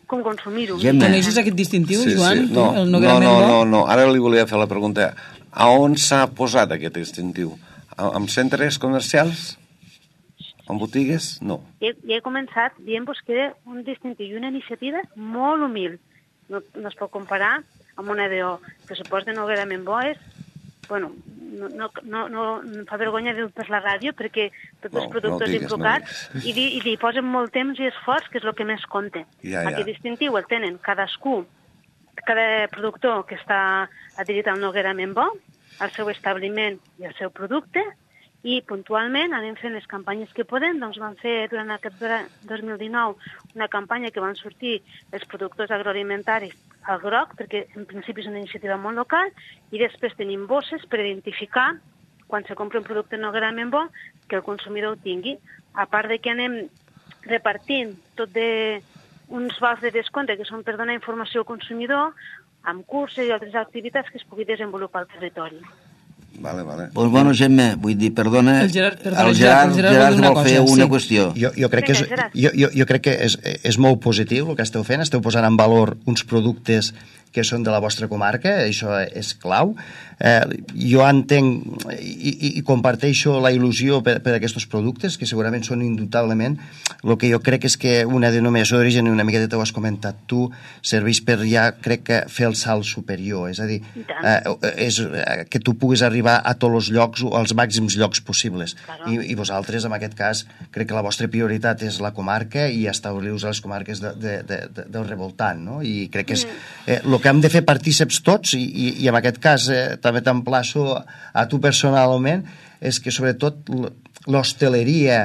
com consumir-ho. Coneixes aquest distintiu, sí, Joan? Sí. No, el no, no, no, no, ara li volia fer la pregunta. A on s'ha posat aquest distintiu? En centres comercials? En botigues? No. Ja, ja he començat dient-vos que era un distintiu i una iniciativa molt humil. No, no es pot comparar amb una D O. El pressupost de Noguera Membó és... Bueno, no, no, no, no em fa vergonya dir-ho per la ràdio perquè tots no, els productors no digues, implicats no i, i li posen molt temps i esforç, que és el que més compta. Ja, ja. Aquest distintiu el tenen cadascú, cada productor que està adherit al Noguera Membó, al seu establiment i al seu producte, i puntualment anem fent les campanyes que podem. Doncs vam fer durant aquest dos mil dinou una campanya que van sortir els productors agroalimentaris al groc, perquè en principi és una iniciativa molt local, i després tenim bosses per identificar quan se compra un producte Noguera Membó que el consumidor ho tingui. A part de que anem repartint tot de uns vals de descompte que són per donar informació al consumidor, amb curses i altres activitats que es pugui desenvolupar al territori. Vale, vale. Pues bueno, Gemma, vull dir, perdona, el Gerard, perdona, el Gerard, el Gerard, Gerard vol, vol fer cosa, una sí. qüestió. Jo, jo, crec que és, jo, jo, jo crec que és, és molt positiu el que esteu fent, esteu posant en valor uns productes que són de la vostra comarca, això és clau. Eh, jo entenc i, i, i comparteixo la il·lusió per, per aquests productes, que segurament són indubtablement. El que jo crec és que una denominació d'origen, i una mica ho has comentat tu, serveix per ja, crec que, fer el salt superior. És a dir, eh, és, eh, que tu puguis arribar a tots els llocs, als màxims llocs possibles. Claro. I, I vosaltres, en aquest cas, crec que la vostra prioritat és la comarca i establir-vos a les comarques de, de, de, de, del revoltant, no? I crec que és eh, el que hem de fer partíceps tots, i, i, i en aquest cas eh, també t'emplaço a tu personalment, és que sobretot l'hostaleria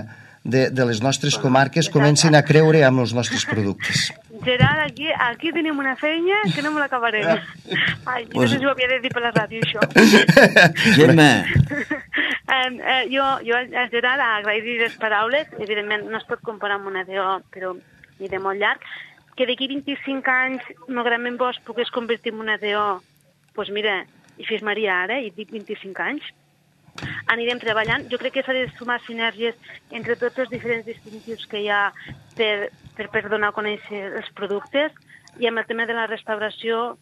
de, de les nostres comarques comencin a creure amb els nostres productes. Gerard, aquí, aquí tenim una feina que no me l'acabarem. Ai, no sé si ho havia de dir per la ràdio, això. Gemma. um, uh, jo, jo a Gerard agrair-li les paraules. Evidentment no es pot comparar amb una D O, però ni de molt llarg. Que d'aquí vint-i-cinc anys Noguera Membó es pogués convertir en una D O, doncs pues mira, i fes Maria ara, i dic vint-i-cinc anys, anirem treballant. Jo crec que s'ha de sumar sinergies entre tots els diferents distintius que hi ha per, per, per donar a conèixer els productes, i amb el tema de la restauració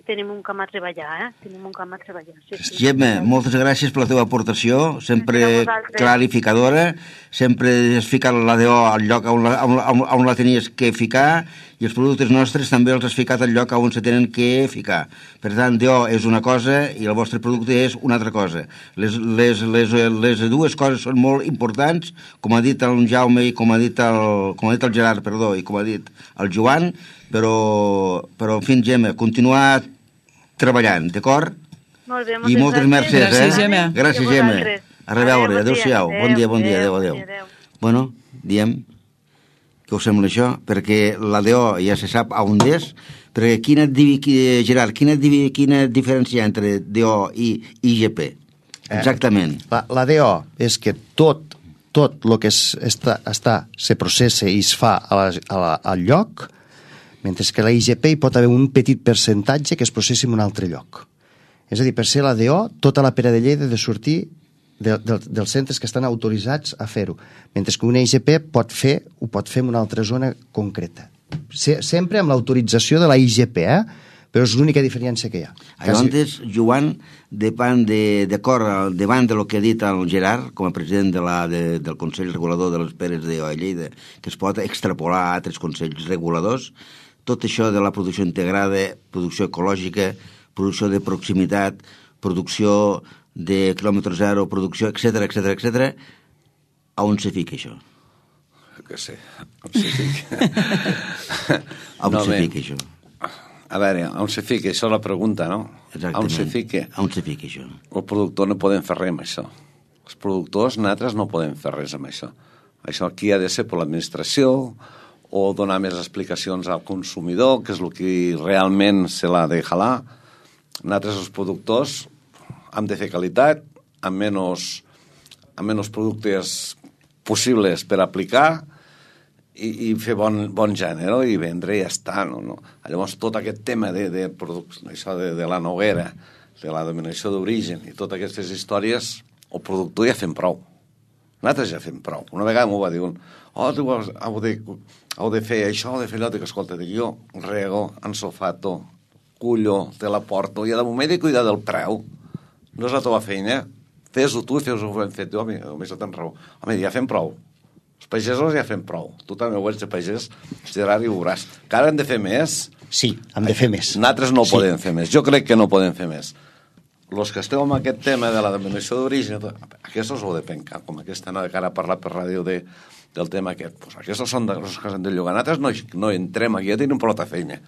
tenim un camp a treballar, eh? Tenim un camp a treballar. Sí, sí. Gemma, moltes gràcies per la teva aportació, sempre clarificadora, sempre has ficat la D O al lloc on la, on, on, on la tenies que ficar, i els productes nostres també els has ficat al lloc on se tenen que ficar. Per tant, D O és una cosa i el vostre producte és una altra cosa. Les, les, les, les dues coses són molt importants, com ha dit el Jaume i com ha dit el, com ha dit el Gerard, perdó, i com ha dit el Joan, però, però en fi, Gemma, continuar treballant, d'acord? Molt bé, moltes I moltes gràcies. mercès, Gràcies, eh? Gemma. Gràcies, Gemma. A reveure, adéu-siau. Bon dia, bon dia, adéu, adéu. Bueno, diem, què us sembla això? Perquè la D O ja se sap on és, perquè quina, Gerard, quina, quina diferència hi ha entre D O i I G P? Exactament. Eh, la, la D O és que tot, tot el que es, està, està, se processa i es fa a la, a la, al lloc, mentre que la I G P hi pot haver un petit percentatge que es processi en un altre lloc. És a dir, per ser la D O, tota la pera de Lleida ha de sortir de, de, dels centres que estan autoritzats a fer-ho, mentre que una I G P pot fer, ho pot fer en una altra zona concreta. Se, sempre amb l'autorització de la I G P, eh? Però és l'única diferència que hi ha. Llavors, Joan, davant de, d'acord, davant de lo que ha dit el Gerard, com a president de la, de, del Consell Regulador de les Peres de Lleida, que es pot extrapolar a altres consells reguladors, tot això de la producció integrada, producció ecològica, producció de proximitat, producció de quilòmetre zero, producció, etcètera, etcètera, etcètera, a on se fica això? Que sé, on se fica. A on no, se bé. fica això? A veure, on se fica? Això és la pregunta, no? Exactament. On se fica? On se fica això? El productor no podem fer res amb això. Els productors, nosaltres, no podem fer res amb això. Això aquí ha de ser per l'administració, o donar més explicacions al consumidor, que és el que realment se l'ha de jalar. Nosaltres, els productors, hem de fer qualitat, amb menys, amb menys productes possibles per aplicar i, i fer bon, bon gènere i vendre i ja està. No? No? Llavors, tot aquest tema de, de, això de, de la noguera, de la denominació d'origen i totes aquestes històries, el productor ja fem prou. Nosaltres ja fem prou. Una vegada m'ho va dir un, oh, tu heu de, heu de fer això, heu de fer allò, dic, escolta, dic, jo rego, ensofato, cullo, te la porto, i de moment he de cuidar del preu. No és la teva feina, fes-ho tu i fes-ho ben fet. Jo, home, només no tens raó. Home, ja fem prou. Els pagesos ja fem prou. Tu també ho ets de pagès, Gerard, i ho veuràs. Que ara hem de fer més. Sí, hem de fer més. Nosaltres no sí. podem fer més. Jo crec que no podem fer més. Els que esteu amb aquest tema de la denominació d'origen, aquests ho heu de pencar, com aquesta no, que ara ha parlat per ràdio de, del tema aquest. Pues aquests són els que s'han de llogar. Nosaltres no, no entrem aquí, ja tenim prou feina.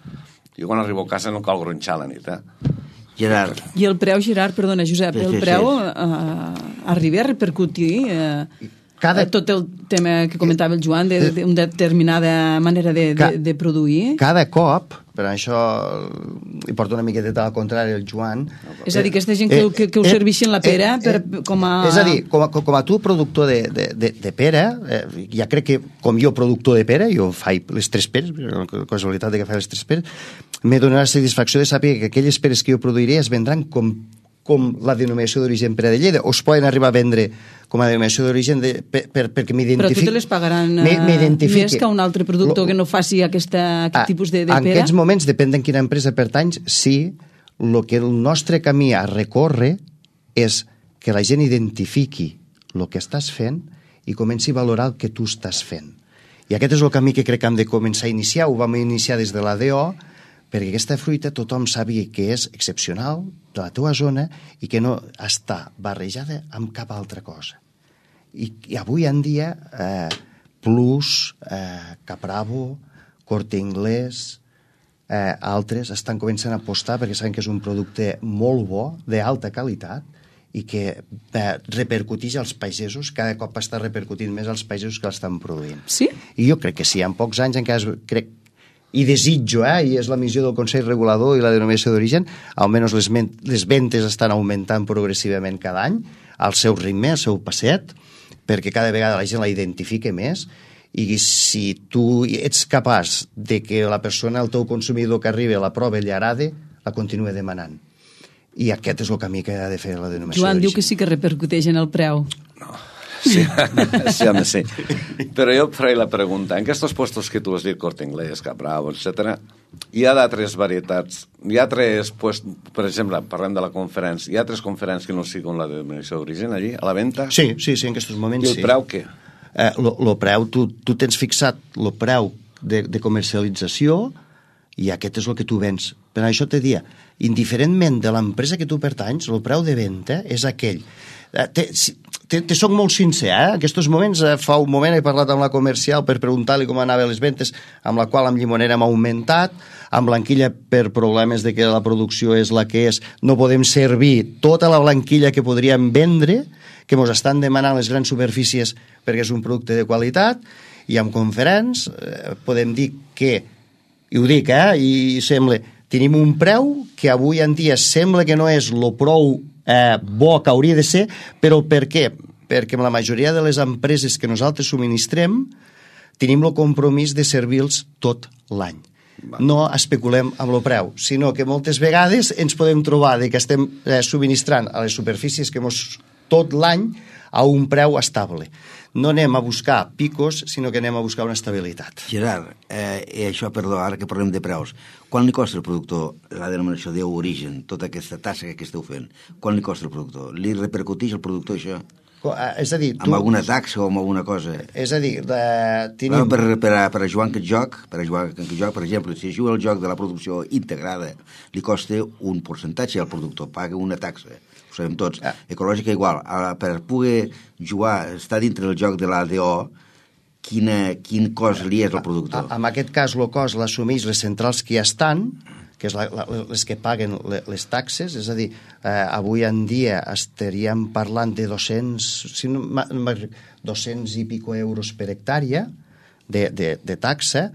Jo quan arribo a casa no cal gronxar a la nit, eh? Gerard. I el preu, Gerard, perdona, Josep, Sí, sí, el preu sí. eh, arriba a repercutir eh, Cada... tot el tema que comentava el Joan d'una de, de determinada manera de, de, de produir? Cada cop, per això hi porta una miqueta al contrari el Joan... És a dir, aquesta gent que, que, que us serveixin la pera eh, per, eh, com a... És a dir, com a, com a tu, productor de, de, de, de pera, eh, ja crec que, com jo, productor de pera, jo faig les tres peres, la casualitat de que faig les tres peres, m'he donat la satisfacció de saber que aquelles peres que jo produiré es vendran com, com la denominació d'origen Pera de Lleida, o es poden arribar a vendre com a denominació d'origen de, per, per, perquè m'identifiqui... Però tu te les pagaran uh, més que un altre productor lo, que no faci aquesta, aquest ah, tipus de, de en pera? En aquests moments, depèn de quina empresa pertanys, sí, el que el nostre camí a recórrer és que la gent identifiqui el que estàs fent i comenci a valorar el que tu estàs fent. I aquest és el camí que crec que hem de començar a iniciar. Ho vam iniciar des de la D O, perquè aquesta fruita tothom sabia que és excepcional de la teva zona i que no està barrejada amb cap altra cosa. I, i avui en dia eh, Plus, eh, Capravo, Corte Inglés, eh, altres estan començant a apostar perquè saben que és un producte molt bo, d'alta qualitat, i que eh, repercuteix als pagesos, cada cop està repercutint més als pagesos que l'estan produint. Sí? I jo crec que sí, en pocs anys encara crec i desitjo, eh, i és la missió del Consell Regulador i la denominació d'origen, almenys les, les ventes estan augmentant progressivament cada any, al seu ritme, al seu passet, perquè cada vegada la gent la identifica més, i si tu ets capaç de que la persona, el teu consumidor que arriba, la prova i li agrada, la continua demanant. I aquest és el camí que ha de fer la denominació Joan d'origen. diu que sí que repercuteix en el preu. No. Sí, sí, home, sí. Però jo faré la pregunta. En aquests puestos que tu has dit, Corte Inglés, Capravo, etcètera, hi ha d'altres varietats? Hi ha altres, pues, per exemple, parlem de la conferència, hi ha altres conferències que no siguin la denominació d'origen allí, a la venda? Sí, sí, sí, en aquests moments sí. I el sí. preu què? Eh, lo, lo preu, tu, tu tens fixat el preu de, de comercialització i aquest és el que tu vens. Per això te dia, indiferentment de l'empresa que tu pertanys, el preu de venda és aquell. Eh, te, te, te soc molt sincer, eh? En aquests moments, eh, fa un moment he parlat amb la comercial per preguntar-li com anaven les ventes, amb la qual amb llimonera hem augmentat, amb blanquilla per problemes de que la producció és la que és, no podem servir tota la blanquilla que podríem vendre, que ens estan demanant les grans superfícies perquè és un producte de qualitat, i amb conferents eh, podem dir que, i ho dic, eh, i sembla, tenim un preu que avui en dia sembla que no és lo prou eh, bo que hauria de ser, però per què? Perquè amb la majoria de les empreses que nosaltres subministrem tenim el compromís de servir-los tot l'any. No especulem amb el preu, sinó que moltes vegades ens podem trobar de que estem eh, subministrant a les superfícies que mos tot l'any a un preu estable. No anem a buscar picos, sinó que anem a buscar una estabilitat. Gerard, eh, i això, perdó, ara que parlem de preus, quan li costa al productor la denominació d'origen, tota aquesta tassa que esteu fent? Quan li costa al productor? Li repercuteix al productor això? És a dir, tu... Amb alguna taxa o amb alguna cosa? És a dir, de... tenim... per, per, a, per a jugar en aquest joc, per a jugar en aquest joc, per exemple, si juga el joc de la producció integrada, li costa un percentatge al productor, paga una taxa. Ho sabem tots. Ah. Ecològica igual. Per poder jugar, estar dintre del joc de l'A D O, quina, quin cost li és al productor? En aquest cas, el cost l'assumeix les centrals que ja estan, que és la, la, les que paguen les taxes, és a dir, eh, avui en dia estaríem parlant de dos-cents, si no, dos-cents i pico euros per hectàrea de, de, de taxa,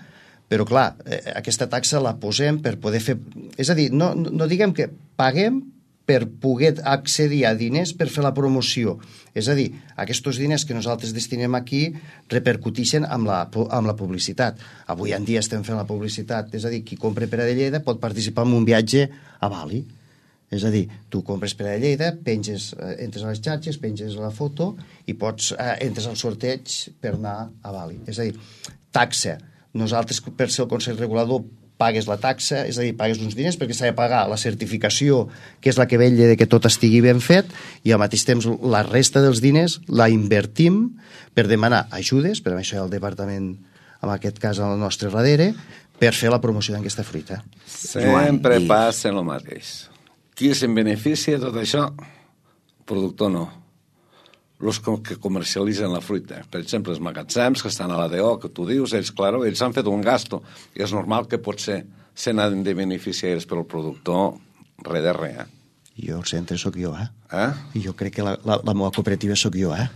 però clar, eh, aquesta taxa la posem per poder fer... És a dir, no, no diguem que paguem per poder accedir a diners per fer la promoció. És a dir, aquests diners que nosaltres destinem aquí repercuteixen amb la, amb la publicitat. Avui en dia estem fent la publicitat, és a dir, qui compra per a de Lleida pot participar en un viatge a Bali. És a dir, tu compres per a de Lleida, penges, entres a les xarxes, penges la foto i pots, eh, entres al sorteig per anar a Bali. És a dir, taxa. Nosaltres, per ser el Consell Regulador, pagues la taxa, és a dir, pagues uns diners perquè s'ha de pagar la certificació, que és la que vetlla de que tot estigui ben fet, i al mateix temps la resta dels diners la invertim per demanar ajudes, per això hi ha el departament, en aquest cas al nostre darrere, per fer la promoció d'aquesta fruita. Sempre passa el mateix. Qui se'n beneficia de tot això? El productor no. Els que comercialitzen la fruita. Per exemple, els magatzems que estan a l'A D O, que tu dius, ells, claro, ells han fet un gasto, i és normal que potser se n'han de beneficiar ells, però el productor, res de res, eh? Jo el centre sóc jo, eh? Eh? I jo crec que la, la, la meva cooperativa sóc jo, eh?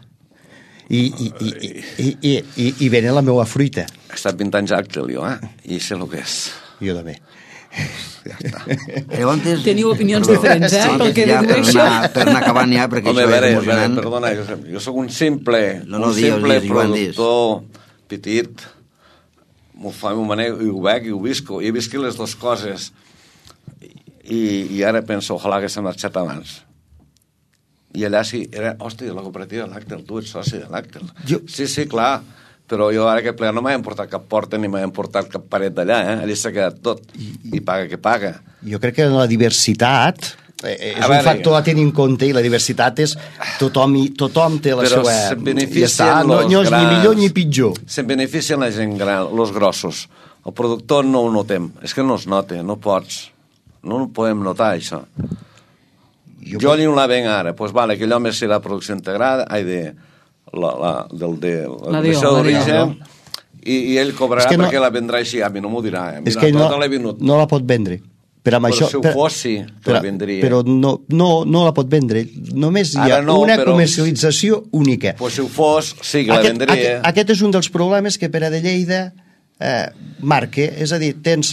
I, i, i, i, i, i, i venen la meva fruita. He estat vint anys àctil, jo, eh? I sé el que és. Jo també. Ja està. Llavors, teniu opinions però, diferents, eh? Pel que ja, dedueixo. Per anar, per anar acabant ja, perquè Home, això veure, és emocionant. veure, perdona, jo, jo sóc un simple, no, no, un simple dius, dius, productor petit, m'ho fa, m'ho manejo, i ho veig, i ho visco, i he viscut les dues coses, i, i ara penso, ojalà que s'ha marxat abans. I allà sí, era, hòstia, la cooperativa de l'Àctel, tu ets soci de l'Àctel. Jo... Sí, sí, clar, però jo ara que ple no m'he emportat cap porta ni m'he emportat cap paret d'allà, eh? Allà s'ha quedat tot, I, i paga que paga. Jo crec que la diversitat eh, és veure, un factor a tenir en compte, i la diversitat és tothom, tothom té la però seva... Però se'n beneficien ja no, no és grans, ni millor ni pitjor. Se'n beneficien la gent gran, els grossos. El productor no ho notem, és que no es nota, no pots, no ho podem notar, això. Jo, jo pot... li la venc ara, doncs pues vale, aquell home serà producció integrada, ai, de... La, la, del de la deixa d'origen i, i ell cobrarà es que no, perquè la vendrà així, a mi no m'ho dirà, eh? Mira, és que no, venut. no la pot vendre, però, però això, si ho per, fos sí, que la vendria, però no, no, no la pot vendre, només hi ha no, una però, comercialització única. Pues si ho fos, sí que aquest, la vendria. Aquest, aquest és un dels problemes que per a de Lleida eh, marca, és a dir, tens,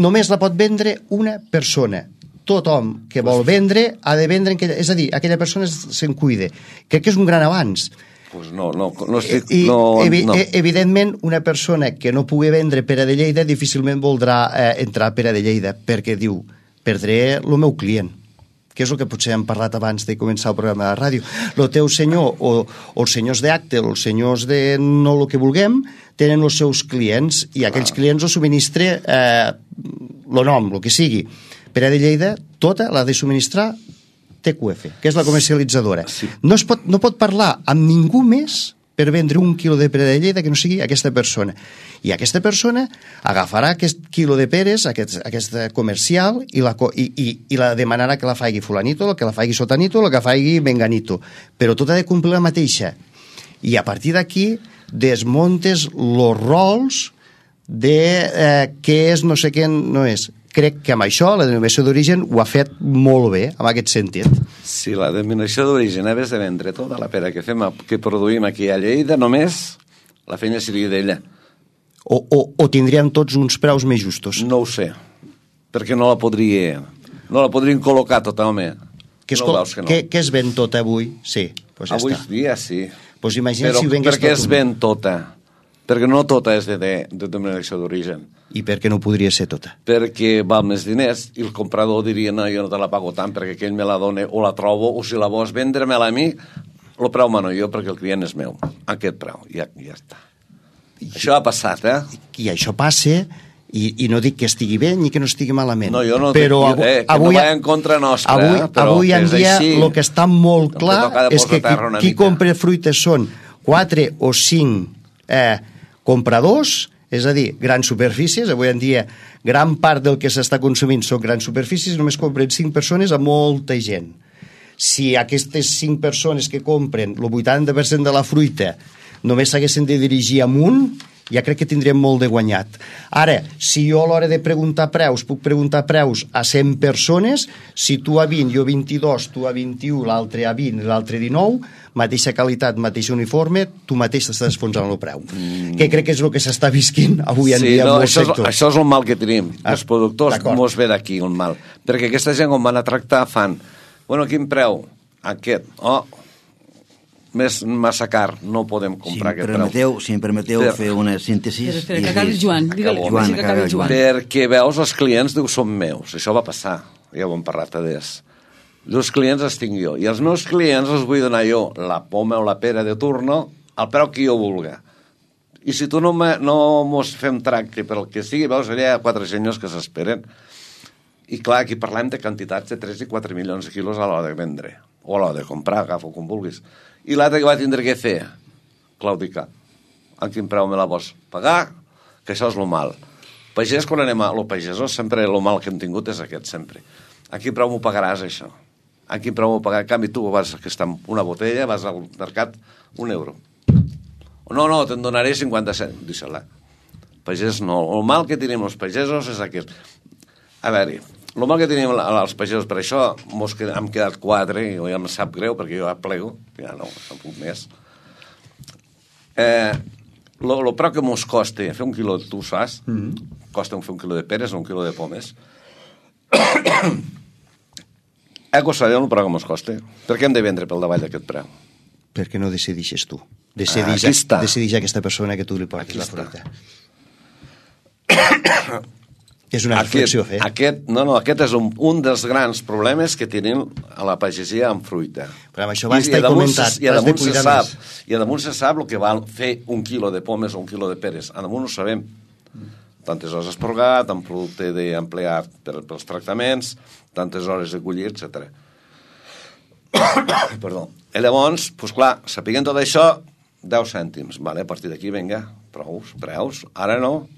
només la pot vendre una persona. Tothom que vol vendre ha de vendre, aquella, és a dir, aquella persona se'n cuida. Crec que és un gran avanç. Pues no, no, no estic... I, no, evi no. Evidentment, una persona que no pugui vendre per a de Lleida difícilment voldrà eh, entrar per a de Lleida, perquè diu, perdré el meu client. que és el que potser hem parlat abans de començar el programa de ràdio. El teu senyor o, o els senyors d'Actel o els senyors de no el que vulguem tenen els seus clients i aquells clients els subministra eh, el nom, el que sigui. Pere de Lleida, tota l'ha de subministrar T Q F, que és la comercialitzadora. Sí. No, es pot, no pot parlar amb ningú més per vendre un quilo de pere de Lleida que no sigui aquesta persona. I aquesta persona agafarà aquest quilo de peres, aquest, aquesta comercial, i la, i, i, i la demanarà que la faigui fulanito, que la faigui sotanito, que la faigui menganito. Però tot ha de complir la mateixa. I a partir d'aquí desmontes els rols de eh, què és, no sé què no és. Crec que amb això la denominació d'origen ho ha fet molt bé, en aquest sentit. Sí, la denominació d'origen ha de vendre tota la pera que fem, que produïm aquí a Lleida, només la feina seria d'ella. O, o, o tindríem tots uns preus més justos? No ho sé, perquè no la podria, no la podrien col·locar tota, home. Que es, no veus que no? Què es ven tota avui? Sí, pues ja avui està. dia sí. Pues imagina però si ho vengués per què tot es ven tota? Perquè no tota és de, de, de denominació d'origen. I per què no podria ser tota? Perquè val més diners i el comprador diria no, jo no te la pago tant perquè aquell me la dona o la trobo o si la vols vendre-me-la a mi, el preu mano jo perquè el client és meu. Aquest preu, ja, ja està. I, això ha passat, eh? I, i això passa i, i no dic que estigui bé ni que no estigui malament. No, jo no però dic eh, que avui, no va en contra nostra. Avui, eh, però avui en dia el que està molt clar és que qui, qui compra fruites són quatre o cinc eh, compradors, és a dir, grans superfícies. Avui en dia gran part del que s'està consumint són grans superfícies, només compren cinc persones a molta gent. Si aquestes cinc persones que compren el vuitanta per cent de la fruita només s'haguessin de dirigir amunt, ja crec que tindríem molt de guanyat. Ara, si jo a l'hora de preguntar preus puc preguntar preus a cent persones, si tu a vint, jo a vint-i-dos, tu a vint-i-u, l'altre a vint, l'altre a dinou, mateixa qualitat, mateix uniforme, tu mateix t'estàs esfonsant el preu. Mm. Que crec que és el que s'està visquint avui en sí, dia no, en molts això sectors. És, això és el mal que tenim. Ah, els productors mos ve d'aquí el mal. Perquè aquesta gent quan van a tractar fan, bueno, quin preu? Aquest. Oh, més massa car, no podem comprar si aquest permeteu, preu. Si em permeteu per... fer una síntesi... Espera, espera, que acabi el Joan. Digue-li Joan, que acabi el Joan. Perquè veus, els clients diu, són meus. Això va passar. Ja ho hem parlat a des. Els clients els tinc jo. I els meus clients els vull donar jo la poma o la pera de turno al preu que jo vulga. I si tu no, me, no mos fem tracte per el que sigui, veus, allà hi ha quatre senyors que s'esperen. I clar, aquí parlem de quantitats de tres i quatre milions de quilos a l'hora de vendre. O a l'hora de comprar, agafa com vulguis. I l'altre que va tindre que fer, claudicar. En quin preu me la vols pagar? Que això és lo mal. Pagès, quan anem a lo pagesos, sempre lo mal que hem tingut és aquest, sempre. A quin preu m'ho pagaràs, això? A quin preu m'ho pagaràs? En canvi, tu vas que està una botella, vas al mercat, un euro. No, no, te'n donaré cinquanta cent. Deixa-la. Pagès no. El mal que tenim els pagesos és aquest. A veure, el mal que tenim els pagesos, per això mos qued, hem quedat quatre, i ja em sap greu, perquè jo ja plego, ja no, no puc més. Eh, lo, lo preu que mos costa fer un quilo, tu saps, mm-hmm. costa fer un quilo de peres o un quilo de pomes. Ego sabem el preu que mos costa. Per què hem de vendre pel davall d'aquest preu? Perquè no decidixes tu. Decidix, ah, decidix aquesta persona que tu li portis la fruita. És una reflexió, aquest, aquest, no, no, aquest és un, un dels grans problemes que tenen a la pagesia amb fruita. Però amb això va estar comentat. I a damunt se sap, i a damunt se sap el que val fer un quilo de pomes o un quilo de peres. A damunt ho sabem. Tantes hores esporgat, amb producte d'emplear per, pels tractaments, tantes hores de collir, etcètera. Perdó. I llavors, doncs clar, sapiguent tot això, deu cèntims. Vale, a partir d'aquí, vinga, preus, preus. Ara no.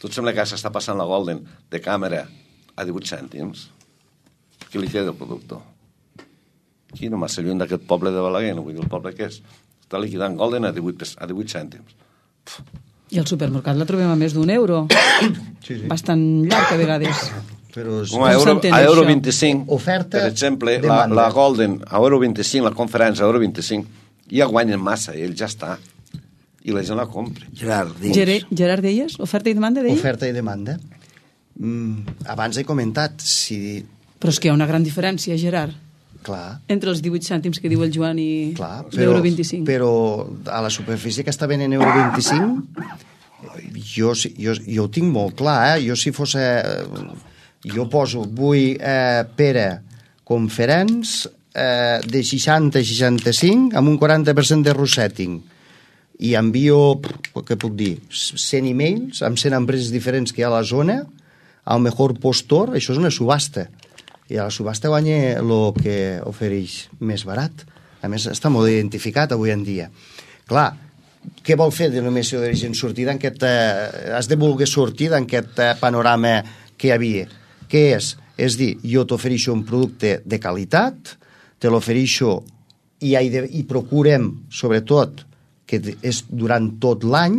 Tot sembla que s'està passant la Golden de càmera a divuit cèntims. Què li queda el productor? Aquí, no massa lluny d'aquest poble de Balaguer, no vull dir el poble que és. Està liquidant Golden a divuit, a divuit cèntims. I al supermercat la trobem a més d'un euro. Sí, sí. Bastant llarg, a vegades. Però és... a euro, a euro vint-i-cinc, oferta, per exemple, la, la Golden a euro vint-i-cinc, la conferència a euro vint-i-cinc, ja guanyen massa, i ell ja està. I la gent la compra. Gerard, deies. Gerard, deies? Oferta i demanda, deies? Oferta i demanda. Mm, abans he comentat, si... Però és que hi ha una gran diferència, Gerard. Clar. Entre els divuit cèntims que diu el Joan i l'euro vint-i-cinc. Però a la superfície que està venent euro vint-i-cinc, jo, jo, jo ho tinc molt clar, eh? Jo si fos... Eh, jo poso, vull eh, pera conferents eh, de seixanta a seixanta-cinc amb un quaranta per cent de resetting. I envio, què puc dir, cent e-mails amb cent empreses diferents que hi ha a la zona, al millor postor, això és una subhasta. I a la subhasta guanya el que ofereix més barat. A més, està molt identificat avui en dia. Clar, què vol fer denominació d'origen sortir d'aquest... Eh, has de voler sortir d'aquest eh, panorama que hi havia. Què és? És dir, jo t'ofereixo un producte de qualitat, te l'ofereixo i, de, i procurem, sobretot, que és durant tot l'any,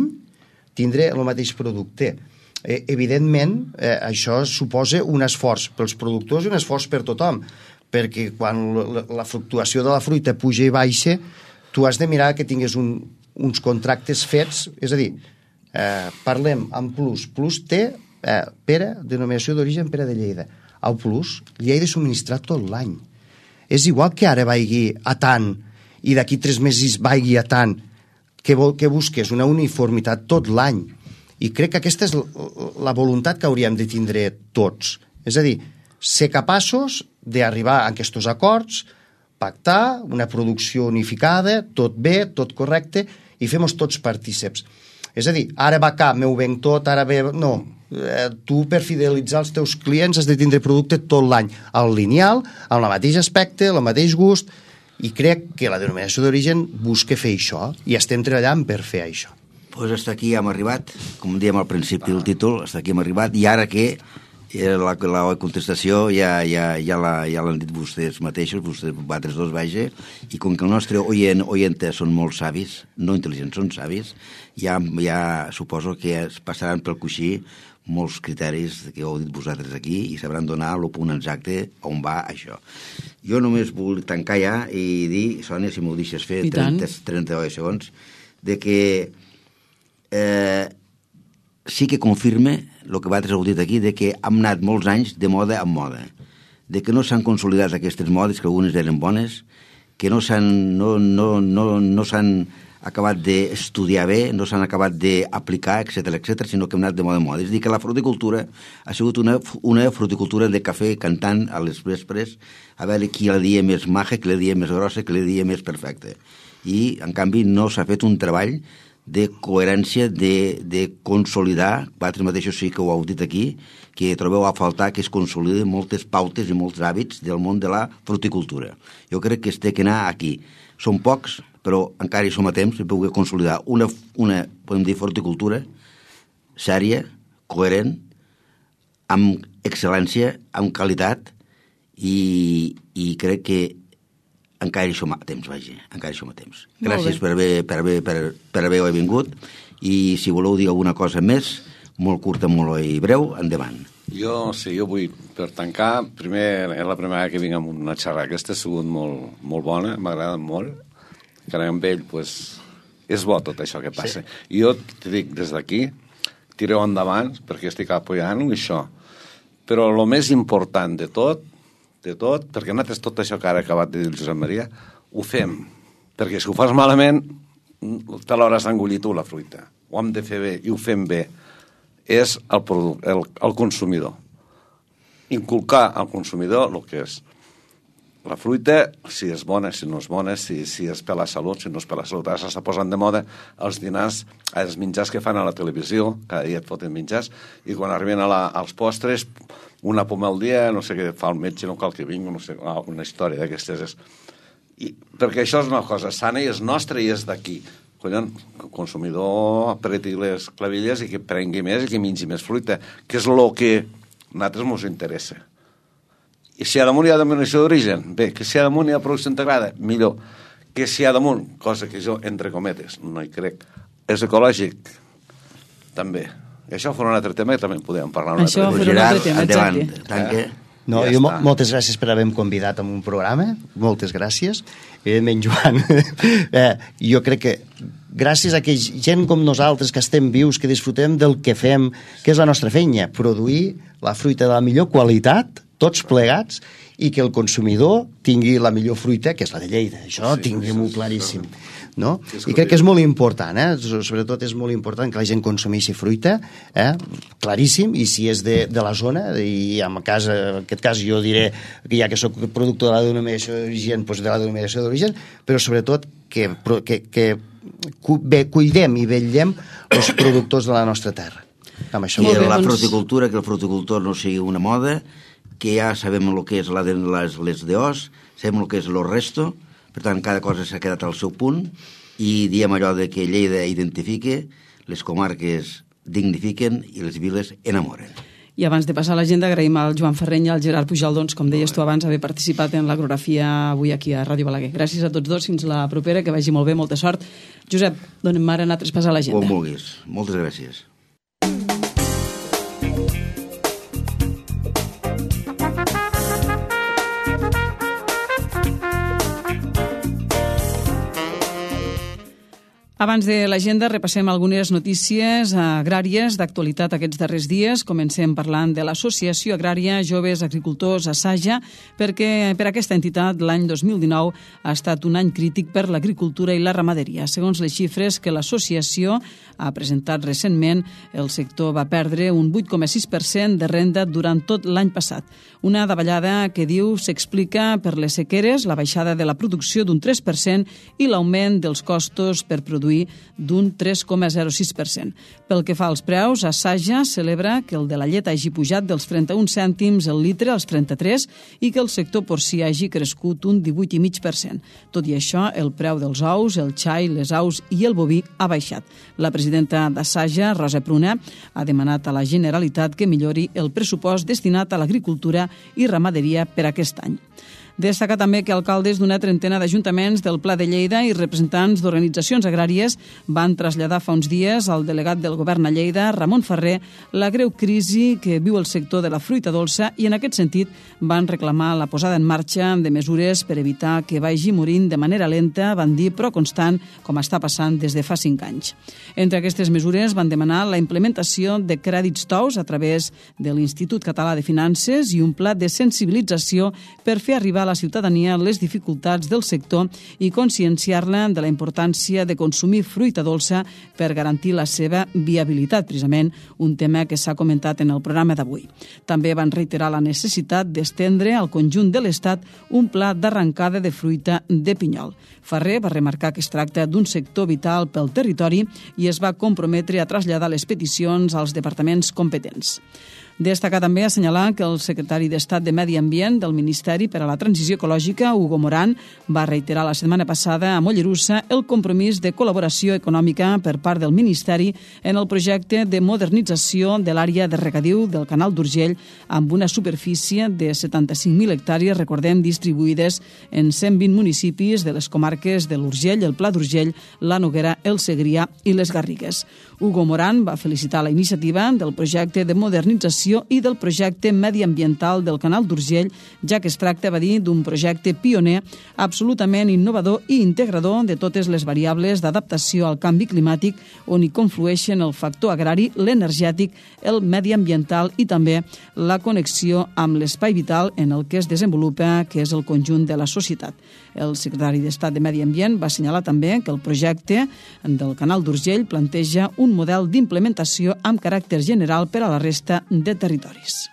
tindré el mateix producte. Eh, evidentment, eh, això suposa un esforç pels productors i un esforç per tothom, perquè quan la, la fluctuació de la fruita puja i baixa, tu has de mirar que tinguis un, uns contractes fets, és a dir, eh, parlem amb Plus. Plus té, eh, pera, denominació d'origen Pere de Lleida. Al Plus li he de subministrar tot l'any. És igual que ara vagi a tant i d'aquí tres mesos vagi a tant, que, vol, que busques una uniformitat tot l'any. I crec que aquesta és la voluntat que hauríem de tindre tots. És a dir, ser capaços d'arribar a aquests acords, pactar una producció unificada, tot bé, tot correcte, i fem-nos tots partíceps. És a dir, ara va cap, m'ho venc tot, ara ve... No, eh, tu per fidelitzar els teus clients has de tindre producte tot l'any, al lineal, amb el mateix aspecte, el mateix gust, i crec que la denominació d'origen busca fer això, i estem treballant per fer això. Doncs hasta aquí hem arribat, com dèiem al principi del títol, hasta aquí hem arribat, i ara que eh, la, la contestació ja, ja, ja, la, ja l'han dit vostès mateixos, vostès vosaltres dos, vaja, i com que el nostre oient, oientes són molt savis, no intel·ligents, són savis, ja, ja suposo que es passaran pel coixí molts criteris que heu dit vosaltres aquí i sabran donar el punt exacte on va això. Jo només vull tancar ja i dir, Sònia, si m'ho deixes fer, trenta, trenta segons, de que eh, sí que confirme el que vosaltres heu dit aquí, de que hem anat molts anys de moda en moda, de que no s'han consolidat aquestes modes, que algunes eren bones, que no s'han no, no, no, no s'han acabat d'estudiar bé, no s'han acabat d'aplicar, etcètera, etcètera, sinó que hem anat de moda en moda. És a dir, que la fruticultura ha sigut una, una fruticultura de cafè cantant a les vespres, a veure qui la dia més maja, qui la dia més grossa, qui la dia més perfecta. I, en canvi, no s'ha fet un treball de coherència, de, de consolidar, vosaltres mateixos sí que ho heu dit aquí, que trobeu a faltar que es consoliden moltes pautes i molts hàbits del món de la fruticultura. Jo crec que es té que anar aquí. Són pocs, però encara hi som a temps de poder consolidar una, una podem dir, fruticultura sèria, coherent, amb excel·lència, amb qualitat, i, i crec que encara hi som a temps, vaja, encara hi som a temps. Gràcies per haver, per, haver, per, per haver vingut, i si voleu dir alguna cosa més, molt curta, molt i breu, endavant. Jo, sí, jo vull, per tancar, primer, és la primera que vinc amb una xerrada. Aquesta ha sigut molt, molt bona, m'ha agradat molt, que amb ell, pues, és bo tot això que passa. Sí. I jo t'hi dic, des d'aquí, tireu endavant, perquè estic apoyant això. Però el més important de tot, de tot, perquè nosaltres tot això que ara ha acabat de dir el Josep Maria, ho fem. Perquè si ho fas malament, te l'hauràs engollit tu, la fruita. Ho hem de fer bé i ho fem bé. És el, producte, el, el consumidor. Inculcar al consumidor el que és la fruita, si és bona, si no és bona, si, si és per la salut, si no és per la salut. Ara s'està posant de moda els dinars, els menjars que fan a la televisió, cada dia et foten menjars, i quan arriben a la, als postres, una poma al dia, no sé què fa el metge, no cal que vingui, no sé, una història d'aquestes. I, perquè això és una cosa sana i és nostra i és d'aquí. Collons, el consumidor apreti les clavilles i que prengui més i que mengi més fruita, que és el que a nosaltres ens interessa. I si a damunt hi ha denominació d'origen, bé, que si a damunt hi ha producció integrada, millor. Que si a damunt, cosa que jo, entre cometes, no hi crec, és ecològic, també. I això farà un altre tema que també podem parlar un això altre tema. Això farà un altre tema, endavant, exacte. tanque. No, ja jo està. Moltes gràcies per haver-me convidat a un programa, moltes gràcies. Evidentment, Joan, eh, jo crec que gràcies a que gent com nosaltres que estem vius, que disfrutem del que fem, que és la nostra feina, produir la fruita de la millor qualitat, tots plegats, i que el consumidor tingui la millor fruita, que és la de Lleida. Això Sí, tinguem-ho sí, claríssim. No? Sí, és I crec que és molt important, eh? Sobretot és molt important que la gent consumeixi fruita, eh? Claríssim, i si és de, de la zona, i en, cas, en aquest cas jo diré que ja que soc productor de la denominació d'origen, doncs de la denominació d'origen, però sobretot que, que, que cuidem i vetllem els productors de la nostra terra. Amb això. I bé, la doncs- fruticultura, que el fruticultor no sigui una moda, que ja sabem el que és la de les, les deos, sabem el que és el resto, per tant, cada cosa s'ha quedat al seu punt, i diem allò de que Lleida identifique, les comarques dignifiquen i les viles enamoren. I abans de passar a l'agenda, agraïm al Joan Ferreny i al Gerard Pujol, doncs, com deies tu abans, haver participat en l'agrografia avui aquí a Ràdio Balaguer. Gràcies a tots dos, fins la propera, que vagi molt bé, molta sort. Josep, donem ara a traspassar l'agenda. Com vulguis. Moltes gràcies. Abans de l'agenda repassem algunes notícies agràries d'actualitat aquests darrers dies. Comencem parlant de l'Associació Agrària Joves Agricultors Assaja, perquè per aquesta entitat l'any dos mil dinou ha estat un any crític per l'agricultura i la ramaderia. Segons les xifres que l'associació ha presentat recentment, el sector va perdre un vuit coma sis per cent de renda durant tot l'any passat. Una davallada que diu s'explica per les sequeres, la baixada de la producció d'un tres per cent i l'augment dels costos per produir d'un tres coma zero sis per cent. Pel que fa als preus, Assaja celebra que el de la llet hagi pujat dels trenta-un cèntims el litre als trenta-tres i que el sector porcí hagi crescut un divuit coma cinc per cent. Tot i això, el preu dels ous, el xai, les aus i el boví ha baixat. La presidenta d'Assaja, Rosa Pruna, ha demanat a la Generalitat que millori el pressupost destinat a l'agricultura i ramaderia per aquest any. Destaca també que alcaldes d'una trentena d'ajuntaments del Pla de Lleida i representants d'organitzacions agràries van traslladar fa uns dies al delegat del govern a Lleida, Ramon Ferrer, la greu crisi que viu el sector de la fruita dolça i en aquest sentit van reclamar la posada en marxa de mesures per evitar que vagi morint de manera lenta, van dir, però constant, com està passant des de fa cinc anys. Entre aquestes mesures van demanar la implementació de crèdits tous a través de l'Institut Català de Finances i un pla de sensibilització per fer arribar a la ciutadania les dificultats del sector i conscienciar-la de la importància de consumir fruita dolça per garantir la seva viabilitat, precisament un tema que s'ha comentat en el programa d'avui. També van reiterar la necessitat d'estendre al conjunt de l'Estat un pla d'arrencada de fruita de pinyol. Ferrer va remarcar que es tracta d'un sector vital pel territori i es va comprometre a traslladar les peticions als departaments competents. Destaca també assenyalar que el secretari d'Estat de Medi Ambient del Ministeri per a la Transició Ecològica, Hugo Morán, va reiterar la setmana passada a Mollerussa el compromís de col·laboració econòmica per part del Ministeri en el projecte de modernització de l'àrea de regadiu del Canal d'Urgell amb una superfície de setanta-cinc mil hectàrees, recordem, distribuïdes en cent vint municipis de les comarques de l'Urgell, el Pla d'Urgell, la Noguera, el Segrià i les Garrigues. Hugo Morán va felicitar la iniciativa del projecte de modernització i del projecte mediambiental del Canal d'Urgell, ja que es tracta, va dir, d'un projecte pioner, absolutament innovador i integrador de totes les variables d'adaptació al canvi climàtic, on hi conflueixen el factor agrari, l'energètic, el mediambiental i també la connexió amb l'espai vital en el que es desenvolupa, que és el conjunt de la societat. El secretari d'Estat de Medi Ambient va assenyalar també que el projecte del Canal d'Urgell planteja un model d'implementació amb caràcter general per a la resta de territoris.